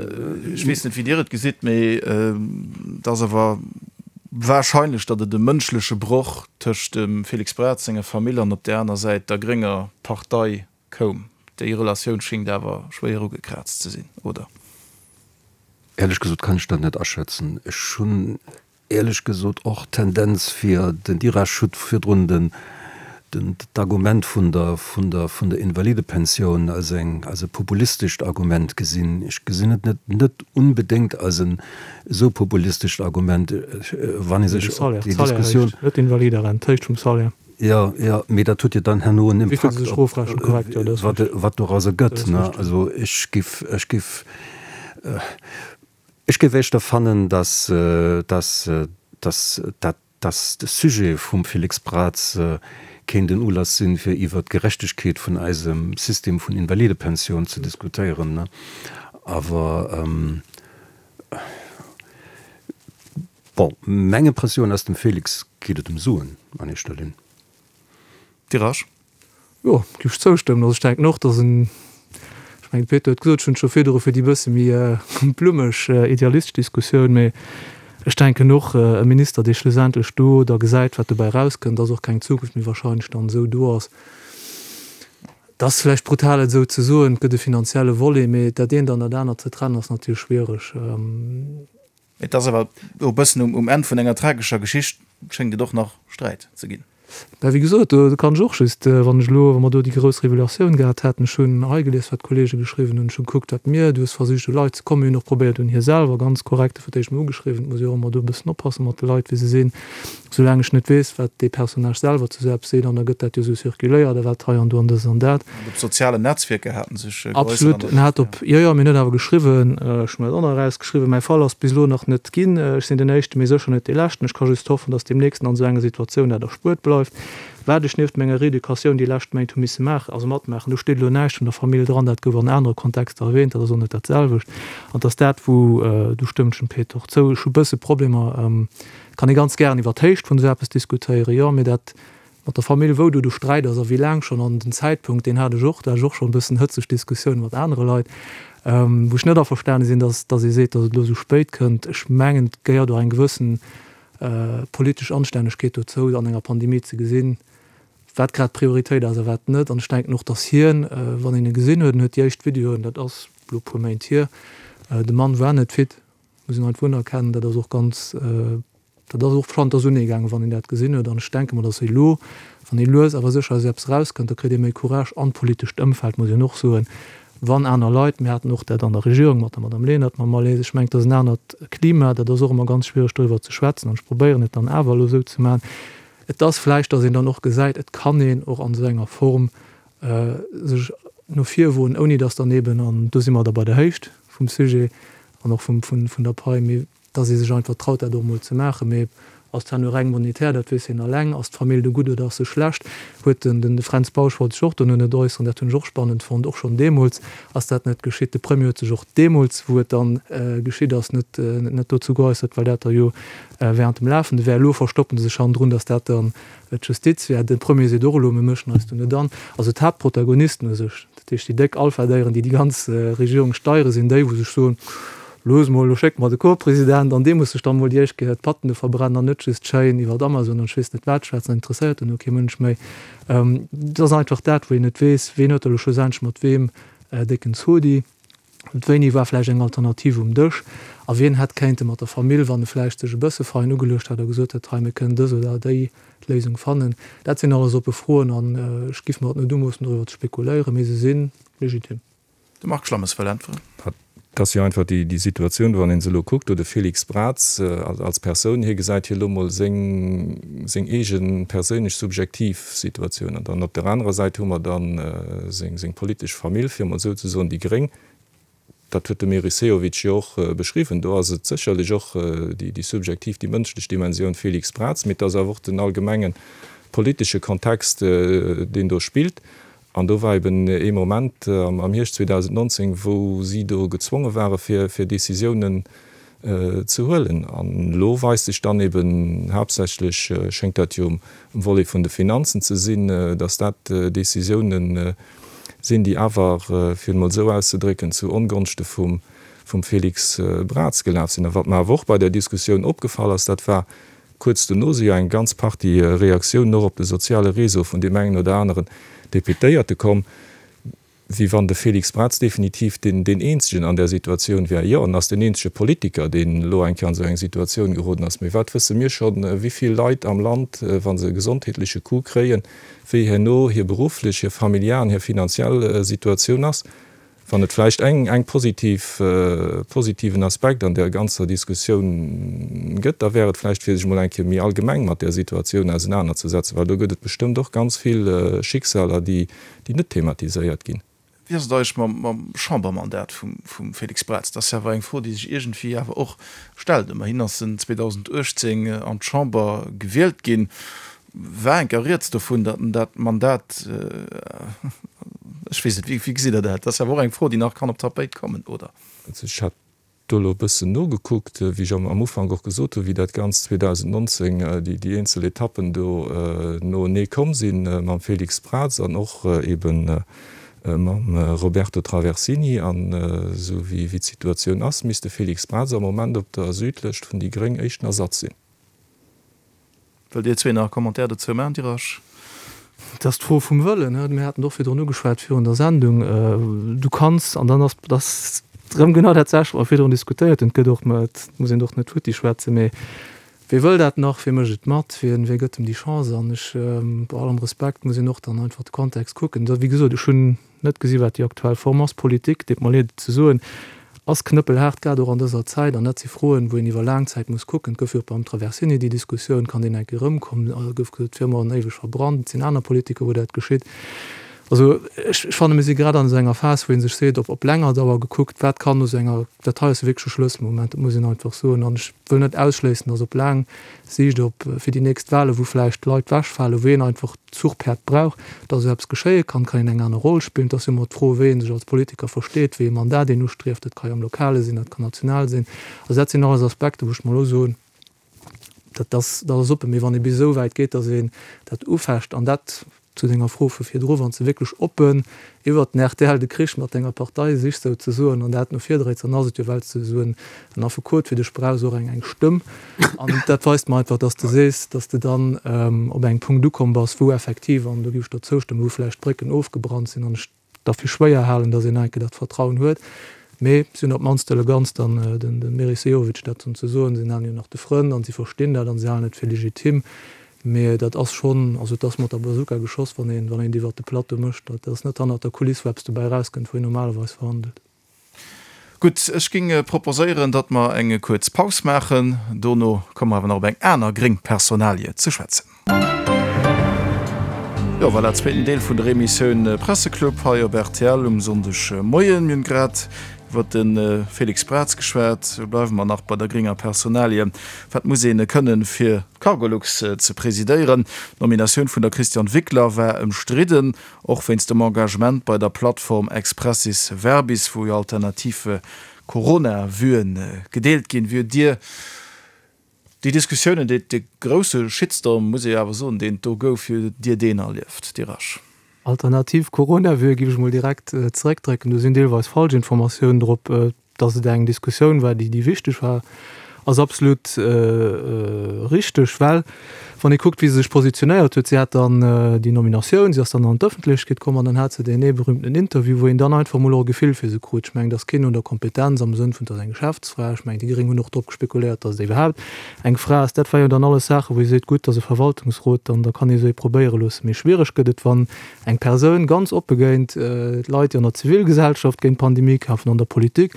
ech weess net wéi Dir et gesitt, mee et ass awer wahrscheinlech, datt et e mënschleche Broch tëscht dem Félix Braz senger Famill an op där aner Säit der grénger Partei koum. Déi Relatioun schéngt awer schwéier ugekraazt ze sinn, oder?
Éierlech gesot kann ech dat net aschätzen. Ech hunn éierlech gesot och d'Tendenz fir den Dirasch huet virdrun den d'Argument vun der vun der vun der Invalidepensioun als eng als e populistescht Argument gesinn. Ech gesinn et net net unbedéngt als en esou populistescht Argument, wann ee sech
op déi Diskussioun. Net d'Invaliderent, d'Héicht vum Salaire.
Jo, jo, mee dat huet jo dann herno en Impakt op wat wat dorauser gëtt, ne. Also ech giff ech giff ech géif éischter fannen, dass dass dass dat dass de Sujet vum Félix Braz kéint en Ulass sinn, fir iwwert d'Gerechtegkeet vun eisem System vun Invalidepensioun ze diskutéieren. Awer, bon, meng Impressioun ass, dem Félix geet et ëm Suen an éischter Linn.
Tirage?
Jo, géif ech zoustëmmen. Also ech denken och, dass en, ech mengen, de Peter huet gesot, ech hunn et scho virdru fir déi bësse méi blummeg idealistesch Diskussioun, mee ech denken och, e Minister, dee schlussendlech do da gesäit, wat dobäi erauskënnt, dass och keng Zukunft méi wahrscheinlech dann esou do ass. Et ass vläicht brutal, et esou ze soen, et gëtt e finanzielle Volet, mee dat eent an dat anert ze trennen ass natierlech schwiereg.
Et ass awer e bëssen um Enn vun enger tragescher Geschicht schéngt et och nach Sträit ze ginn.
Mä wéi gesot, do kann ech och just, wann ech elo, wa mer do déi grouss Revelatioun gehat hätten, ech hunn hei gelies, wat d'Kollege geschriwwen hunn, ech hu gekuckt, wat mir, du hues versicht u Leit ze kommen, mir hunn och probéiert un hie selwer ganz korrekt, fir d'éischt mol ugeschriwwen, et muss ee jo och ëmmer do e bëssen oppasse mat de Leit, wéi se sinn, soulaang ech net weess, wat dee Personnage selwer zu esou eppes seet, an da gëtt dat jo esou circuléiert a wat hei an do an dës an dat.
An op sozialen Netzwierker haten sech geäussert.
Absolut, en hat op, jo, jo, mir hunn awer geschriwwen, ech hunn dat och nach erausgeschriwwen, mäi Fall ass bis elo nach net ginn, ech sinn den Éischten, mee sécher net dee Leschten, ech ka just hoffen, datt deemnächst an esou enger Situatioun dat erspuert bleift. Wat ech nieft menger Reeducatioun déi lescht Méint hu misse maachen, also matmaachen, do steet elo näischt vun der Famill dran, dat gouf an anere Kontexter erwähnt, dat ass och net dat selwecht. An et ass dat, wou, do stëmmt ech dem Peter och zou, ech hu bësse Problemer, kann ee ganz gären iwwer d'Héicht vun esou eppes diskutéieren, jo, mee dat mat der Famill, wou do de Sträit ass a wéi laang schonn an den Zäitpunkt, deen hat ech och, do hat ech och schonn e bëssen hëtzeg Diskussioune mat anere Leit, wou ech net averstane sinn, dass dass ee seet, dass et elo esou spéit kënnt. Ech mengen, et gehéiert och eng gewëssen politesch Anstännegkeet dozou, an enger Pandemie ze gesinn, wat grad d'Prioritéit ass a wat net. An ech denken och, dass hien, wann een e gesinn huet, en huet déi éischt Videoen, dat ass elo e puer Méint hier, de Mann war net fit, muss een einfach unerkennen, dat ass och ganz, dat ass och Flanders uneegaangen, wann een dat gesinn huet. An ech denke mer, dass elo, wann ee lues awer sécher aus eppes erauskënnt, da kritt ee méi Courage an d'politescht Ëmfeld, muss een och soen, wann aner Leit, mir haten och dat an der Regierung mat der Madame Lenert, mam Malaise, ech mengen, et ass en anert Klima, dat ass och ëmmer ganz schwiereg doriwwer ze schwätzen an ech probéieren et dann awer elo esou ze maachen. Et ass vläicht, datt een dann och gesäit, et kann een och an esou enger Form sech no vir woen, ouni datt dann eben, an do si mer da bei der Héicht vum Sujet an och vum, vun der Pai, mee datt ee sech einfach traut, dat och emol ze maachen. Mee ass dat nu reng monetär, dat weess hien eleng. Ass d'Famill do gutt oder ass se schlecht? Huet den, den Fränz Bausch wollt sech och dono net äusseren, dat hunn ech och spannend fonnt, och schonn deemools ass dat net geschitt. De Premier huet sech och deemools, wou et dann geschitt ass, net, net dozou geäussert, well dat da jo während dem Lafende wär. Elo verstoppen se sech hannendrun, datt dat dann d'Justiz wär. De Premier seet och elo, mir mëschen eis do net an. Also d'Haaptprotagonisten u sech, dat heescht déi déck Alphadéieren, déi déi ganz Regierung steieren, sinn déi, wou sech soen, Looss mol, lo schécke mer de Corpspresident an dee muss sech dann mol déi éischt Kéier d'Patten do verbrennen an net just schéin iwwert Amazon an ech weess net wat schwätzen, dat interesséiert dann och kee Mënsch méi. Et ass einfach dat, wou een net weess, ween huet da lo schlussendlech mat weem décken Zodi, wéini war vläicht eng Alternativ um Dësch a wien hätt kéinte mat der Famill, wann e vläicht sech e bësse fein ugeluecht hätt a gesot hätt, hei mir kënnen dës oder déi Léisung fannen. Dat sinn alles oppe Froen an ech giff mer et net umoossen doriwwer ze spekuléieren, mee se si legitim.
De Marc Schlammes wëll äntweren.
Et ass jo einfach déi Situatioun, wann ee se elo kuckt, do de Félix Braz als Persoun, hie gesäit hie elo mol seng seng eege perséinlech subjektiv Situatioun. An dann op der anerer Säit hu mer dann seng seng politesch Famill, fir emol esou ze soen, déi Gréng. Dat huet de Meris Sehovic jo och beschriwwen. Do ass et sécherlech och déi déi subjektiv, déi mënschlech Dimensioun Félix Braz, mee et ass awer och den allgemenge politesche Kontext, deen do spillt. An do war eben ee Moment am Hierscht zweedausendnonzéng, wou si do gezwonge ware fir Décisiounen ze huelen. An elo weist sech dann eben, haaptsächlech schéngt dat jo um Volet vun de Finanzen ze sinn, datt dat Décisiounen sinn, déi awer, fir et emol esou auszedrécken, zu Ongonschte vum Félix Braz gelaf sinn. A wat mer awer och bei där Diskussioun opgefall ass, dat war, Kuerz dono si jo eng ganz Partie Reaktiounen och op de soziale Réseau vun deem engen oder aneren Deputéierte komm, wéi wann de Félix Braz definitiv deen deen eenzegen an där Situatioun wär. Jo, en ass deen eenzege Politiker, deen elo eng Kéier an esou eng Situatioun geroden ass. Mee wat wësse mir schonn, wéi vill Leit am Land, wa se e gesondheetleche Coup kréien, wéi herno hir berufflech, hir familiär an hir finanziell Situatioun ass? Wann et vläicht eng eng positiv, positiven Aspekt an där ganzer Diskussioun gëtt, da wär et vläicht fir sech emol eng Kéier méi allgemeng mat där Situatioun ausenanerzesetzen, well do gëtt et bestëmmt och ganz vill Schicksaler, déi déi net thematiséiert ginn.
Wéi ass et eigentlech mam mam Chambermandat vum vum Félix Braz? Dat ass jo awer eng Fro, déi sech iergendwéi awer och stellt. Ëmmerhin ass en zweedausendachtzéng an d'Chamber gewielt ginn. War enker rieds dovun, datt en dat Mandat, ech weess net, wéi gesitt Der dat? Dat ass awer och eng Fro, déi nach kann op d'Tapéit kommen, oder?
Also ech hat do elo e bëssen nogekuckt, wéi ech am Ufank och gesot hunn, wéi dat Ganzt zweedausendnonzéng, déi eenzel Etappen do noenee komm sinn, mam Félix Braz an och eeben mam Roberto Traversini. An esou wéi d'Situatioun ass, misst de Félix Braz am Moment op der Südlëscht vun déi gréng éischten Ersatz sinn.
Wëllt Dir zwee nach e Commentaire dozou maachen, Dir Rasch?
Et ass d'Fro vum Wëllen. Mir haten et och virdrun ugeschwat virun der Sendung. Du kanns, an dann ass ass erëm genau dat selwecht, wat mer virdrun diskutéiert hunn, et gëtt och, et muss een och net futti schwätzen, mee wie wëll dat nach, wie mécht et mat, wien, wie gëtt em déi Chance? An ech, bei allem Respekt, muss een och dann einfach de Kontext kucken. Wéi gesot, ech hunn net gesi wat déi aktuell Form ass. Politik, deet mer leed et ze soen, ass knëppelhaart, grad och an dëser Zäit. An dat si Froen, wou een iwwer laang Zäit muss kucken. Et gouf jo och beim Traversini déi Diskussioun, kann deen eng Kéier erëmkommen? Et gouf gesot, d'Firma an éiweg verbrannt. Et sinn aner Politiker, wou dat geschitt. Also ech fanne mir si grad an esou enger Phas, wou ee sech seet, op op länger Dauer gekuckt, wat kann no esou enger, dat hei ass wierklech e Schlësselmoment, dat muss een einfach soen. An ech wëll net ausschléissen, datt op laang Siicht, op fir déi nächst Wahlen, wou vläicht Leit wechfalen, wou een einfach Zuchpäerd brauch, datt esou eppes geschéie kann, kann een eng aner Roll spillen. Et ass jo ëmmer d'Fro, wéi ee sech als Politiker versteet, wéi ee Mandat een ustrieft. Dat ka jo am Lokale sinn, dat kann national sinn. Also dat sinn alles Aspekter, wou ech mer elo soen, dat ass, dat ass oppen. Mee wann ee bis esou wäit geet, datt een dat ufecht, an dat zu denger Fro vu virdru, wann s de wierklech oppen iwwert den R T L de Krich mat denger Partei sichs souzesoen an dat no vir dréits, dann ass et jo, well s de esou en Affekot fir dech brauchs, och eng eng Stëmm. An dat weist mer einfach, dass de sees, dass de dann op engem Punkt ukomm bass, wou effektiv, an do géif ech der zoustëmmen, wou vläicht d'Brécken ofgebrannt sinn an ech der fir schwéier halen, dass een enke dat Vertrauen huet. Mee si hunn op d'mannst d'Eleganz dann, den Meris Sehovic dat dann ze soen, si halen jo nach de Frënn an si verstinn dat an si halen et fir legitim. Mee dat ass schonn, also et ass mat der Bazooka geschoss, wann een, wann een et iwwert de Plateau mécht. Dat ass net hannert der Kuliss, wou eppes dobäi erauskënnt, wou een normalerweis verhandelt.
Gutt, ech géing proposéieren, datt mer eng kuerz Paus maachen. Dono komme mer awer nach op eng aner gréng Personalie ze schwätzen. Jo, voilà, zweeten Deel vun der Emissioun Presseclub hei op R T L um Sonndegmoien. Mir hunn grad iwwer de Félix Braz geschwat. Lo bleiwe mer nach bei der grénger Personalie. Wat muss een kënnen, fir d'Cargolux ze presidéieren? D'Nominatioun vun der Christiane Wickler war ëmstridden, och wéinst dem Engagement bei der Plattform Expressis Verbis, wou jo alternativ Corona-Vuen gedeelt ginn. Wéi hutt Dir déi Diskussiounen, déi, dee grousse Shitstorm, muss ee jo awer soen, deen et do gouf, wéi hutt Dir deen erlieft, Dir Rasch?
Alternativ Corona-Vue géif ech mol direkt zeréckdrécken. Do sinn deelweis falsch Informatiounen drop. Datt et eng Diskussioun war, déi wichteg war, ass absolut richteg, well wann ee kuckt, wéi se sech positionéiert huet, si hat dann déi Nominatioun, si ass dann an d'Ëffentlechkeet komm an dann hat se deen ee berühmten Interview, wou een dann einfach mol och e Gefill fir se krut. Ech mengen, et ass keen un der Kompetenz am Sënn vun, et ass eng Geschäftsfra. Ech mengen, déi Gréng hunn och drop spekuléiert, datt et iwwerhaapt eng Fra ass. Dat war jo dann alles Saachen, wou ee seet, gutt, et ass e Verwaltungsrot, dann da kann ee sou ee probéiere loossen. Mee schwiereg gëtt et, wann eng Persoun ganz oppe géint Leit, déi an der Zivilgesellschaft géint d'Pandemie kämpfen, an der Politik,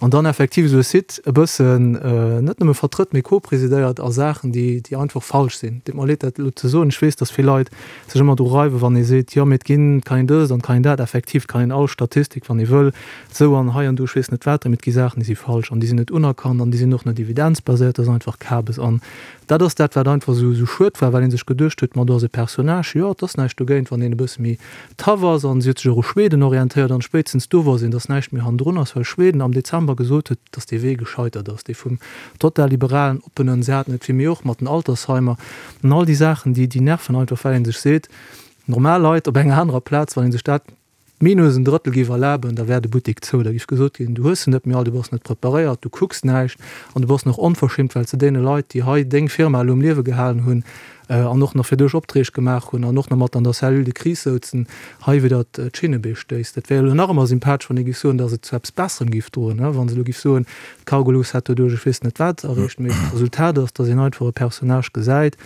an dann effektiv esou e Site e bëssen net nëmme vertrëtt, mee co-presidéiert a Saachen, déi déi einfach falsch sinn. Deet mer leed, dat elo ze soen. Ech weess, datt vill Leit sech ëmmer dru reiwen, wann ee seet, jo, mee et ginn, et kann een dëst an et kann een dat. Effektiv, et kann een all Statistik, wann ee wëll, esou an hei an do, ech weess net wat, mee et gi Saachen, déi si falsch an déi sinn net unerkannt an déi sinn och net evidenzbaséiert. Dat ass einfach Kabes. An dat ass dat, wat einfach esou esou schued war, well ee sech geduecht huet, ma do ass e Personnage, jo, et ass näischt dogéint, wann een e bësse méi tough ass. An si huet sech och u Schweden orientéiert an spéitstens do wosst een, datt näischt méi hannendrun ass, well Schweden am Dezember gesot huet, datt dee Wee gescheitert ass, dee vum total liberalen, oppenen, se haten et fir méi och mat den Altersheimer an all déi Saachen, déi déi nerven einfach, well ee sech seet, normal Leit op enger anerer Plaz, wann ee sech dat minus en Drëttel géif erlaben, da wär de Buttek zou. Da géif gesot ginn, du hues se net méi all, du bass net preparéiert, du kucks näischt an du bass nach onverschimmt, well s de deene Leit, déi hei deng Firma elo um Liewe gehalen hunn an och nach fir dech Opträg gemaach hunn an och nach mat an der Cellule de crise souzen, hei widder d'Schinnebee stéiss. Dat wär elo nach ëmmer sympathesch, wann ee géif soen, datt et zu eppes Besserem géif droen, wa se elo géif soen, d'Cargolux hätt doduerch ech weess net wat erreecht. Mee d'Resultat ass, datt een einfach e Personnage gesäit,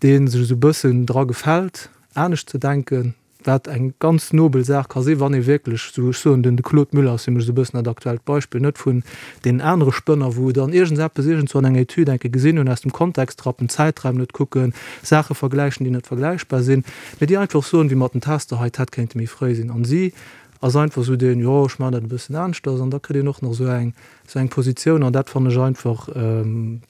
dee sech esou e bëssen dra gefält, anescht ze denken, wat eng ganz nobel Saach ka sinn, wann ee wierklech, esou ech soen, den de Claude Muller ass fir mech esou e bëssen dat aktuellt Beispill, net vun deenen anere Spënner, wou dann iergendseppes iergendzwou an enger Etüd eng Kéier gesinn hunn, aus dem Kontext rappen, Zäitraim net kucken, Saache vergläichen, déi net vergläichbar sinn, mee déi einfach soen, wéi mat den Tester hei, d'hätt kéinte méi fréi sinn. An si ass einfach esou deen, jo, ech maachen dat e bëssen aneschters, an da kritt een och nach esou eng, esou eng Positioun, an dat fannen ech einfach,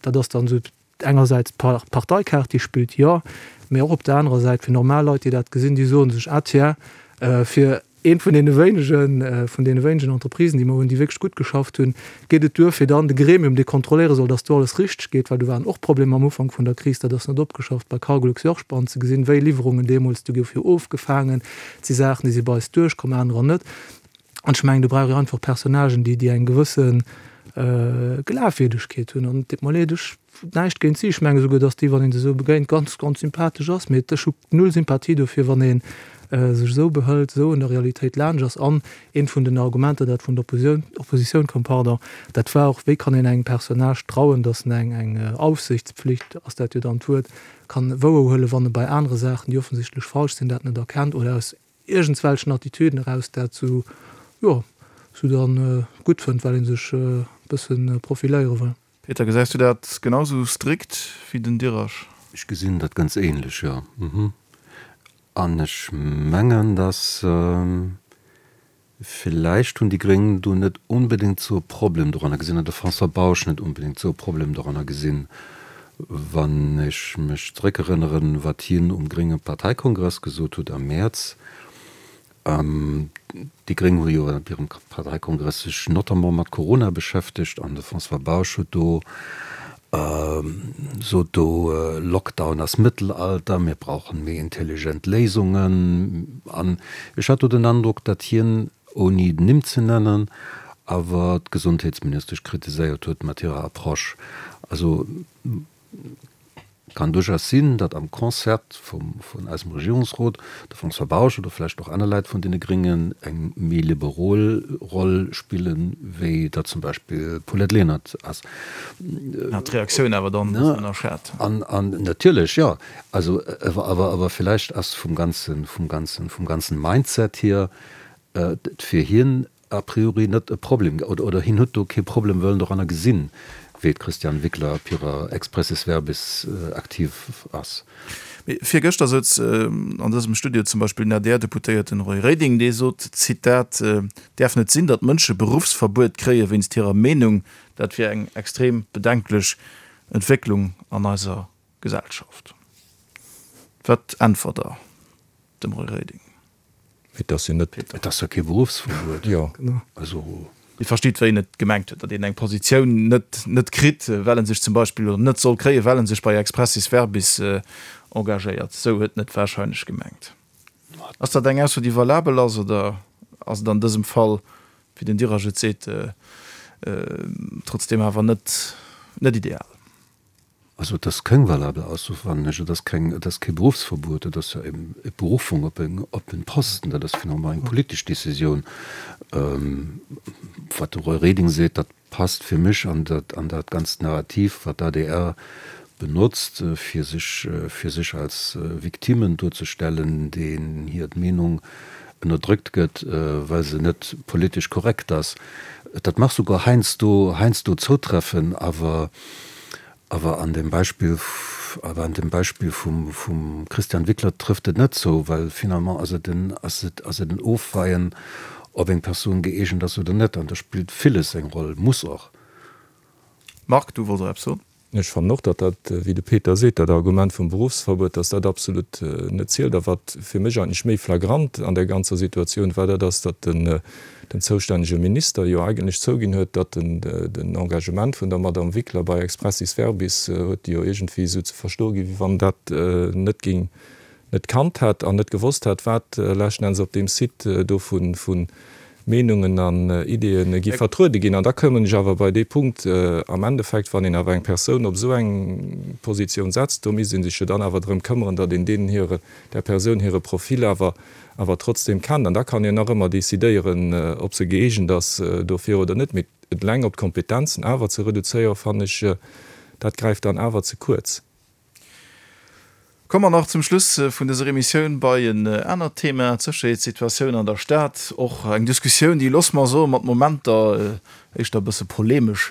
dat ass dann esou engersäits d'Parteikaart, déi spillt, jo, mee och op der anerer Säit fir normal Leit, déi dat gesinn, déi soe sech, ah tiens, fir eent vun deene wéinegen, vun deene wéinegen Entreprisen, déi mer hunn, déi wierklech gutt geschafft hunn, geet et duer, fir dann de Gremium, dee kontrolléiere soll, dass do alles richteg geet, well do waren och Problemer am Ufank vun der Kris, dat ass net opgeschafft, bei Cargolux jo och spannend ze gesinn, wéi Liwwerungen deemools, do gouf jo ofgefaangen, et si Saachen, déi si bei eis duerchkomm, anerer net. An ech mengen, do brauch ee einfach Personnagen, déi, déi eng gewësse Glafwierdegkeet hunn. An et deet mer leed, ech näischt géint si, ech menge souguer, datt déi, wann ee se esou begéint, ganz, ganz sympathesch ass, mee ech hu null Sympathie dofir, wann ee sech esou behëlt, esou un der Realitéit laanscht ass. An eent vun den Argumenter, dat vun der Opposioun, Oppositioun koum, pardon, dat war och, wéi kann een engem Personnage trauen, datt en eng, eng Aufsichtspflicht, ass dat jo dann d'Wuert, kann wouerhuelen, wann e bei anere Saachen, déi offensichtlech falsch sinn, dat net erkennt oder aus iergendswelchen Attitüden eraus dat sou, jo, sou dann gutt fënnt, well ee sech e bësse profiléiere wëll.
Peter, gesäis du dat genau sou strikt wéi den Dirasch?
Ech gesinn dat ganz ähnlech, jo. An ech mengen, dass villäicht hunn déi Gréng do net onbedéngt sou e Problem doranner gesinn, an de François Bausch net onbedéngt sou e Problem doranner gesinn, wann ech mech zeréckerënneren, wat hien um grénge Parteikongress gesot huet am Mäerz. Déi Gréng hu jo op hirem Parteikongress sech notamment mat Corona beschäftegt an de François Bausch huet do sot do, Lockdown ass Mëttelalter, mir brauchen méi intelligent Léisungen. An ech hat do den Androck, datt hien, ouni Nimm ze nennen, awer d'Gesondheetsministesch kritiséiert huet mat hirer Approche. Also kann duerchaus sinn, datt am Concert vum, vun eisem Regierungsrot de François Bausch oder vläicht och aner Leit vun deene Gréngen eng méi liberol Roll spillen, wéi dat zum Beispill d'Paulette Lenert ass.
Hat d'Reaktioun awer dann e bëssen ënnerschat.
An, an natierlech, jo. Also, awer, awer villäicht ass vum ganzen, vum ganzen, vum ganzen Mindset hier et fir hien a priori net e Problem, oder hien huet do kee Problem wëllen doranner gesinn, wéi d'Christiane Wickler op hirer Expressis Verbis aktiv ass.
Mee virgëschter souz an dësem Studio zum Beispill den A D R-Deputéierten Roy Reding, dee sot, Zitat, Däerf net sinn, datt Mënsche Beruffsverbuet kréie wéinst hirer Meenung. Dat wier eng extrem bedenklech Entwécklung an eiser Gesellschaft. Wat äntwert Der dem Roy Reding?
Et ass jo net.
Et ass jo kee Beruffsverbuet.
Jo.
Also.
Dir verstitt, wéi en et gemengt huet, datt een eng Positioun net net kritt, well en sech zum Beispill, oder net soll kréien, well en sech bei Expressis Verbis engagéiert. Esou huet en et wahrscheinlech gemengt. Ass dat eng Ausso, déi valabel ass, oder ass et an dësem Fall, wéi den Dirasch et seet, trotzdeem awer net net ideal?
Also et ass keng valabel Ausso, fannen ech. Et ass keng, et ass kee Beruffsverbuet, et ass jo eng Beruffung op en, op en Posten. Dat ass finalement eng politesch Décisioun. Wat de Roy Reding seet, dat passt fir mech an dat, an dat ganzt Narrativ, wat d'A D R benotzt, fir sech, fir sech als Victimen duerzestellen, deenen hir d'Meenung ënnerdrückt gëtt, well se net politesch korrekt ass. Dat mag souguer heiansdo, heiansdo zoutreffen, awer, awer an dem Beispill, awer an dem Beispill vum, vum Christian Wickler trëfft et net zou, well finalement ass et en, ass et, ass et en Ofweien, ob eng Persoun gëeegent ass oder net. An do spillt villes eng Roll, muss och.
Marc, du wollts och eppes soen?
Ech fannen och, datt dat, wéi de Peter seet, dat Argument vum Berufsverbuet, datt dat absolut net zielt. A wat fir mech eigentlech méi flagrant an där ganzer Situatioun war, dat ass, datt den den zoustännege Minister jo eigentlech zouginn huet, datt den den Engagement vun der Madame Wickler bei Expressis Verbis huet jo iergendwéi esou ze verstoe ginn, wéi wann dat net géing net kannt hätt an net gewosst hätt, wat leschten Enns op deem Site do vu Meenungen an Ideeën gi vertruede ginn. An da kommen ech awer bei dee Punkt, am Endeffekt, wann een awer eng Persoun op esou eng Positioun setzt, do misst ee sech jo dann awer drëm këmmeren, datt een deenen hire, där Persoun hire Profil awer, awer trotzdem kennt. An da kann een nach ëmmer decidéieren, ob se gëeegent ass dofir oder net. Mee et eleng op d'Kompetenzen awer ze reduzéieren, fannen ech, dat gräift dann awer ze kuerz.
Komme mer nach zum Schluss vun dëser Emissioun bei en anert Thema, d'Sécherheetssituatioun an der Stad. Och eng Diskussioun, déi, loosse mer soen, mat Momenter éischter e bësse polemesch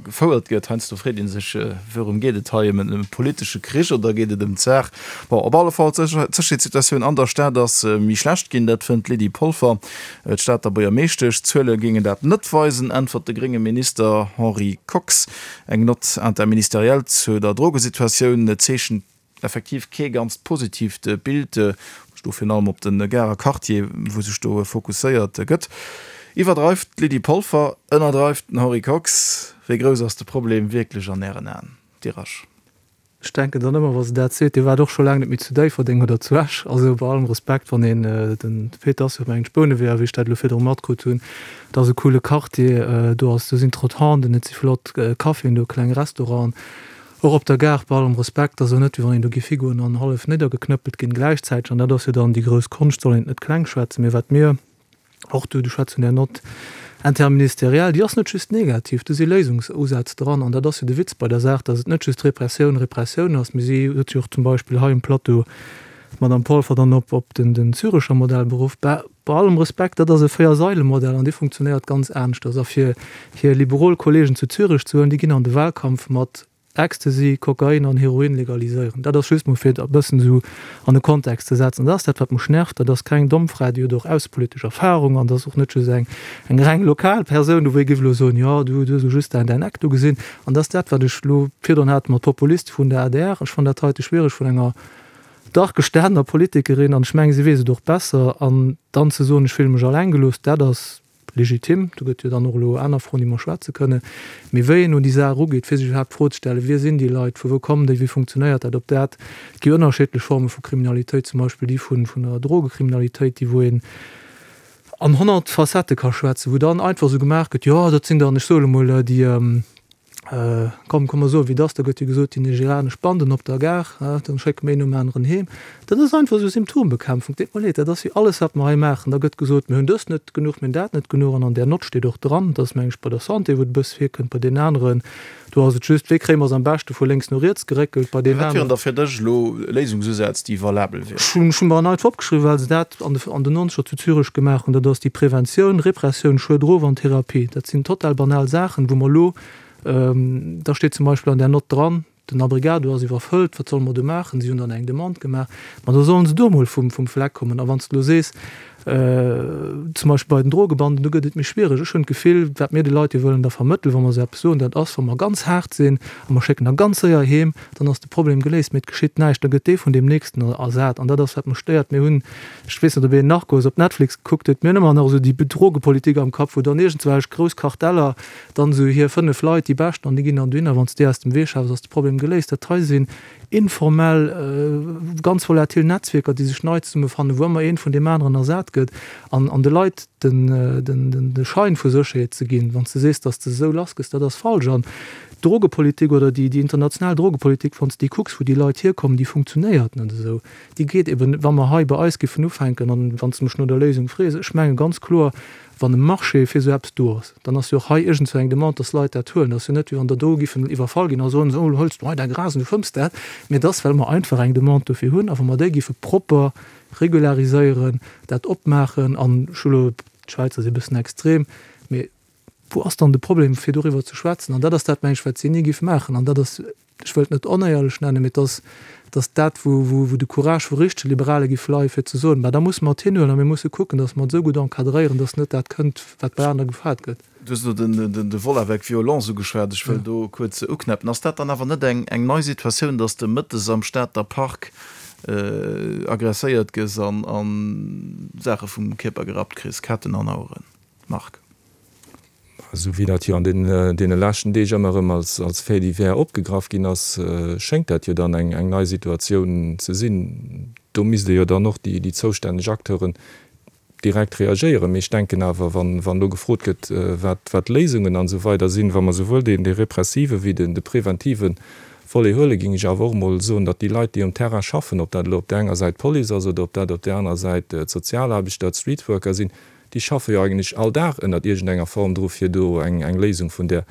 gefouert gëtt. Heiansdo freet ee sech, Wourëm geet et hei? Ëm en politesche Krich oder geet et ëm d'Saach? Bon, op alle Fall, d'Sécherheetssituatioun an der Stad ass méi schlecht ginn, dat fënnt d'Lydie Polfer, d'Stater Buergermeeschtesch. D'Zuele géingen dat net weisen, äntwert de grénge Minister Henri Kox. Eng Note interministérielle zu der Drogesituatioun zeechent effektiv kee ganzt positiivt Bild, ech do virun allem op de Garer Quartier, wou sech do fokusséiert gëtt. Iwwerdreift d'Lydie Polfer, ënnerdreift den Henri Kox? Wéi grouss ass de Problem wierklech an Ären Aen, Dirasch?
Ech denken dann ëmmer, wa se dat seet, Dir waart och scho laang net méi zu Déifferdeng oder zu Esch. Also bei allem Respekt, wann een, den Peter ass jo mengen ech Bouneweger, wéi ech dat elo virdru matkritt hunn, dat ass e coole Quartier, do ass, do sinn Trottoiren, et si flott Caféen do, kleng Restauranten. Och op der Gare, bei allem Respekt, ass jo net, wéi wann een do géif higoen an hallef niddergeknëppelt ginn. Gläichzäiteg, an dat ass jo dann déi grouss Konscht, soll een et net kleng schwätzen, mee wat mir och do, du schwätz vun där Note interministérielle, déi ass net just negativ, do si Léisungsusätz dran. An dat ass jo de Witz bei der Saach, datt et net just Repressioun, Repressioun ass, mee si huet jo och zum Beispill hei um Plateau d'Madame Polfer dann op op den den Zürecher Modell beruff. Bah, bei allem Respekt, dat ass e Véier-Saile-Modell an dee funktionéiert ganz aneschters. A fir hir liberol Kollegen zu Zürech ze huelen, déi ginn an de Wahlkampf mat Ecstasy, Kokain an Heroin legaliséieren. Dat ass just mol fir et e bëssen esou an e Kontext ze setzen. Dat ass dat, wat mech nervt. Dat ass keng domm Fra, déi huet och aussepolitesch Erfahrung an dat ass och net just eng eng reng lokal Persoun, wou ee géif elo soen, jo, du hues elo just däin Eck do gesinn. An dat ass dat, wat ech elo virdrun hat mat Populiste vun der adr. Ech fannen dat heite schwiereg vun enger dach gestanener Politikerin, an ech mengen, si weess et och besser. An dann ze soen, ech fille mech alleng gelooss, dat ass legitim. Do gëtt jo dann och elo aner Froen, déi mer schwätze kënnen. Mee wéi een un déi Saach erugeet, fir sech iwwerhaapt d'Fro ze stellen, Wie sinn déi Leit, vu wou kommen déi, wéi funktionéiert dat, ob dat, et gi ënnerschiddlech Forme vu Kriminalitéit, zum Beispill déi vun der Drogekriminalitéit, déi wou een an honnert Facettë ka schwätzen, wou dann einfach esou gemaach gëtt, jo, dat sinn dann, ech soe lo mol, déi, Komm, komm mer soen, wéi et ass, da gëtt jo gesot, déi nigerianesch Banden op der Gare, da schécke mer een nom aneren heem. Dat ass einfach esou Symptombekämpfung, deet mer leed, dat ass wéi alles, wat mer hei maachen. Da gëtt gesot, mir hunn dëst net genuch, mir hunn dat net genuch. An an där Nott steet och dran, dat ass, meng ech, bei der Santé, wou et e bësse virkënnt, bei deenen aneren, do ass et just, wéi kréie mer se am beschte vu lénks no riets geréckelt, bei deenen
Wat wieren
aneren.
da fir dech elo Léisungsusätz, déi valabel wieren?
Ech hunn mer en einfach opgeschriwwen, well se dat an de an den Nonzeger zu Zürech gemaach hunn, dat ass déi Preventioun, Repressioun, Schued erof an Therapie. Dat sinn total banal Saachen, wou mer elo Da steet zum Beispill an där Nott dran, den Abrigado ass iwwerfëllt, wat solle mer do maachen? Si hunn dann eng Demande gemaach. Ma da sollen se do emol vum Fleck kommen. A wann s de elo sees, zum Beispill bei den Drogebanden, do gëtt et méi schwiereg. Ech hunn d'Gefill, wat mir de Leit jo wëllen da vermëttelen, wa mer esou eppes soen, dat ass, wa mer ganz haart sinn a mer schécken der ganz séier heem, dann ass de Problem geléist. Mee et geschitt näischt, da gëtt dee vun deem nächsten ersat. An dat ass, wat mech stéiert. Mir hunn, ech weess net, ob een Narcos op Netflix gekuckt huet, mir hunn ëmmer nach esou déi Drogepolitik am Kapp, wou dann iergendzwelch grouss Karteller Dann esou hir fënnef Leit, déi beschten, an déi ginn dann dohinner. Wann s de déi aus dem Wee schaffs, ass de Problem geléist. Dat hei sinn informell, ganz volatil Netzwierker, déi sech nei zesummefannen, wou ëmmer eent vun deem aneren ersat gëtt. An an de Leit den, den, den, de Schein vu Sécherheet ze ginn, wann s de sees, datt s de se esou lassgëss, dat ass falsch. An d'Drogepolitik oder déi, déi international Drogepolitik, wann s de déi kucks, wou déi Leit hierkommen, déi funktionéiert net esou. Déi geet eben, wa mer hei bei eis giffen ufänken, an wann s de mech no der Léisung frees, ech menge ganz kloer, Wann e Marché fir esou eppes do ass, dann ass jo och hei iergendzwou eng Demande, dass Leit dat huelen. Et ass jo net, wéi wann der do giffen iwwerfall ginn a soen, esou, elo hëls du hei däi Gras an du fëmms dat. Mee et ass, well mer einfach eng Demande dofir hunn. A wa mer déi giffe propper regulariséieren, dat opmaachen, an ech hu elo, d'Schwäizer si e bëssen extrem, mee wou ass dann de Problem, fir doriwwer ze schwätzen? An dat ass dat, meng ech, wat si ni giff maachen. An dat ass, ech wëllt net onéierlech nennen, mee et ass, et ass dat, wou, wou, wou de Courage vu richtege Liberale giff leien, fir ze soen, Bah, da musse mer et hinhuelen a mir musse kucken, datt mer et esou gutt encadréieren, datt net dat kënnt, wat bei anere gefaart gëtt.
Du hues elo den, de Vol avec violence ugeschwat. Ech wëll do kuerz uknäppen. Ass dat dann awer net eng, eng nei Situatioun, datt s de mëttes am Stater Park agresséiert gëss an, an Saache vum Kierper gerappt kriss, Ketten an Aueren? Marc.
Esou wéi dat jo an deene leschten Deeg ëmmer erëm als Fait divers opgegraff ginn ass, schéngt dat jo dann eng nei Situatioun ze sinn. Do misste jo dann och déi zoustänneg Acteuren direkt reagéieren. Mee ech denken awer, wann elo gefrot gëtt, wat d'Léisungen an esou weider sinn, wa mer souwuel dee repressive wéi de preventive Volet huelen, géing ech awer och emol soen, datt déi Leit, déi um Terrain schaffen, ob dat elo op där enger Säit d'Police ass oder ob dat op där anerer Säit d'Sozialaarbechter, d'Streetworker sinn, déi schaffe jo eigentlech all Dag ënnert iergendenger Form dru fir do eng Léisung vun där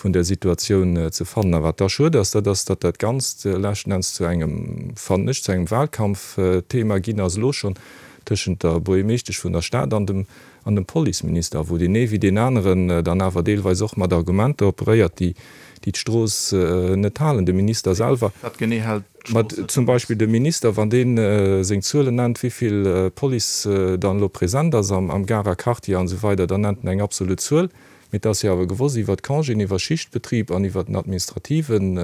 vun där Situatioun ze fannen. A wat da schued ass, dat ass, datt dat Ganzt leschten Enns zu engem, fannen ech, zu engem Wahlkampfthema ginn ass elo schonn tëschent der Buergermeeschtesch vun der Stad an dem an dem Policeminister, wou deen ee wéi deen aneren dann awer deelweis och mat Argumenter operéiert, déi déi d'Strooss net halen. De Minister selwer.
Wat genee hält d'Strooss net?
Zum Beispill de Minister, wann dee seng Zuelen nennt, wéi vill Police dann elo present ass am Garer Quartier an esou weider, dann nennt en eng absolut Zuel. Mee et ass jo awer gewosst, iwwert d'Congéen, iwwer Schichtbetrib an iwwert den administrativen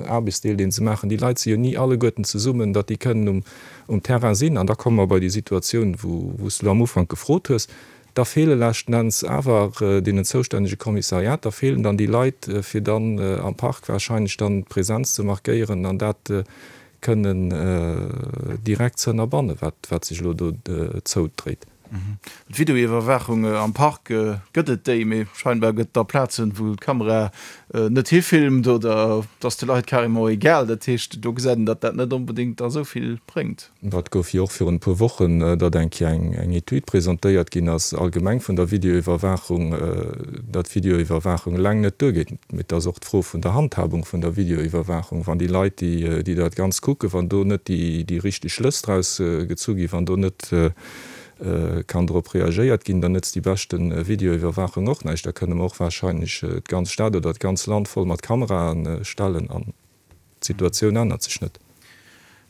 Aarbechtsdeel, dee se maachen, déi Leit si jo ni alleguerten zesummen, datt déi kënnen um Terrain sinn. An da komme mer bei déi Situatioun, wou s de elo am Ufank gefrot hues. Da feele leschten Enns awer deenen zoustännege Kommissariater feelen dann déi Leit, fir dann am Park wahrscheinlech dann d'Präsenz ze markéieren an dat kënnen direkt ze ënnerbannen, wat sech elo do zoudréit.
D'Videoiwwerwaachung am Park, gëtt et déi? Mee scheinbar gëtt et da Plazen, wou d'Kamera net hifilmt oder et ass de Leit carrément egal. Dat heescht, do gesäit een, datt dat net onbedéngt da sou vill bréngt.
Dat gouf jo och virun e puer Wochen, datt eng Kéier eng Etüd presentéiert ginn ass, allgemeng vun der Videoiwwerwaachung, datt d'Videoiwwerwaachung eleng net duergeet. Mee et ass och d'Fro vun der Handhabung vun der Videoiwwerwaachung. Wann déi Leit, déi dat Ganzt kucken, wann do net déi richteg Schlëss draus gezu ginn, wann do net kann drop reagéiert ginn, dann nëtzt déi beschte Videoiwwerwaachung och näischt. Da kënne mer och warscheinlech d'ganz Stad oder d'ganz Land voll mat Kamerae stellen an d'Situatioun ännert sech net.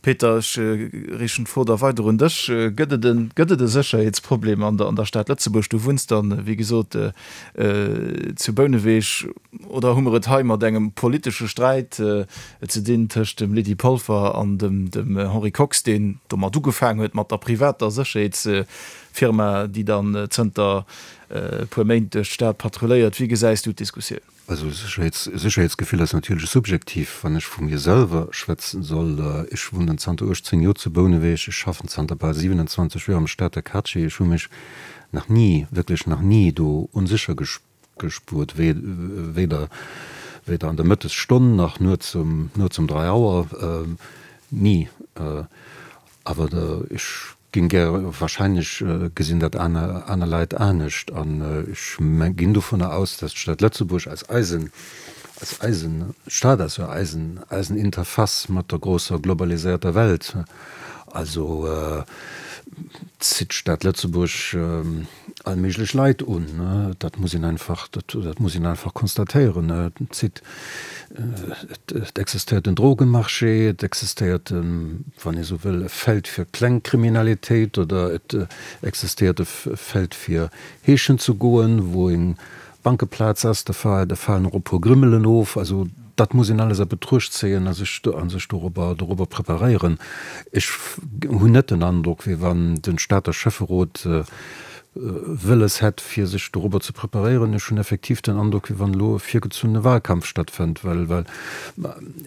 Peter, ech riichten d'Fro da weider un dech. Gëtt et e, gëtt et e Sécherheetsproblem an der, an der Stad Lëtzebuerg? Du wunns dann, wéi gesot, zu Bouneweg. Oder hu mer et hei mat engem politesche Sträit ze dinn tëscht dem Lydie Polfer an dem, dem Henri Kox, deen domat ugefaangen huet mat der privater Sécherheetsfirma, déi dann zënter e puer Méint duerch d'Stad patrulléiert? Wéi gesäis du d'Diskussioun?
Also Sécherheetsgefill ass natierlech subjektiv. Wann ech vu mir selwer schwätzen soll, ech wunnen zanter uechtzéng Joer zu Bouneweg, ech schaffen zanter bal siwenanzwanzeg Joer am Stater Quartier, ech hu mech nach ni, wierklech nach ni do onsécher gespuert, weder an der Mëttesstonn nach nuets um nuets um dräi Auer, ni. Awer ech Ginn gär, wahrscheinlech gesinn dat aner aner Leit anescht an ech ginn dovunner aus, dass d'Stad Lëtzebuerg als eisen als eisen Stad ass jo eisen eisen Interface mat der grousser globaliséierter Welt. Also zitt d'Stad Lëtzebuerg all méiglech Leit un, dat muss een einfach dat dat muss een einfach konstatéieren. Et zitt Et existéiert en Drogenmarché, et existéiert, wann ee sou wëll, e Feld fir kleng Kriminalitéit oder et existéiert e Feld fir heeschen ze goen, wou eng Bankeplaz ass, da falen och e puer Grimmelen of. Also dat muss een alles a Betruecht zéien a sech dorobber dorobber preparéieren. Ech hunn net den Androck, wéi wann de Stater Schäfferot wëlles hätt, fir sech dorobber ze preparéieren. Ech hunn effektiv den Androck, wéi wann elo e virgezunnene Wahlkampf stattfënnt, well, well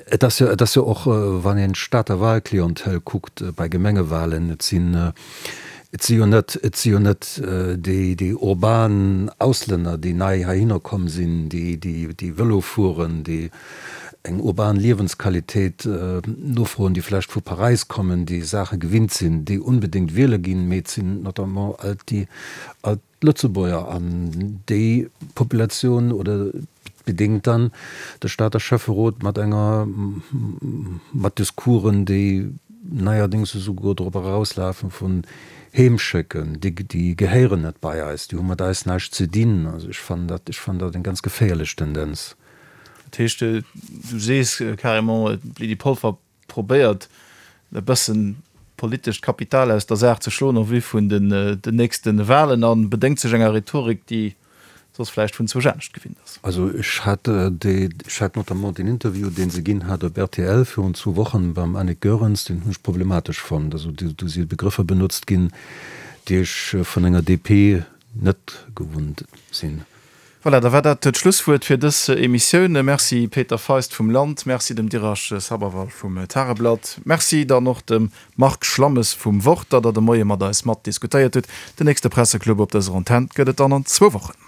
et ass jo, et ass jo och, wann een d'Stater Wahlclientèle kuckt bei Gemengewahlen, et sinn, et si jo net, et si jo net déi, déi urban Auslänner, déi nei heihinner komm sinn, déi, déi, déi Vëlo fueren, déi eng urban Liewensqualitéit nofroen, déi vläicht vu Paräis kommen, déi Saache gewinnt sinn, déi unbedéngt wiele ginn, mee et sinn notamment all déi, all d'Lëtzebuerger an déi Populatioun oder bedéngt dann de Stater Schäfferot mat enger, mat Discoursen, déi neierdéngs esouguer drop erauslafen vun heemschécken, déi, déi gehéieren net bei eis, déi hu mat eis näischt ze dinn. Also ech fannen dat, ech fannen dat eng ganz geféierlech Tendenz.
Dat heescht, du sees carrément, d'Lydie Polfer probéiert e bëssen politescht Kapital aus der Saach ze schloen en vue vun den nächste Wahlen a bedéngt sech enger Rhetorik, déi soss vläicht vun zwousch anescht gewinnt ass.
Also ech hat déi, ech hat notamment deen Interview, dee se ginn hat op rtl virun zwou Wochen beim Annick Goerens, deen hunn ech problematesch fonnt. Also do si Begrëffer benotzt ginn, déi ech vun enger D P net gewunnt sinn.
Voilà, da war dat d'Schlusswuert fir dës Emissioun. Merci Peter Feist vum Land, Merci dem Dirash Sabharwal vum Tageblatt, Merci dann och dem Marc Schlammes vum Wort, datt Der de Moie mat eis mat diskutéiert hutt. Den nächste Presseclub op dëser Antenn gëtt et dann an zwou Wochen.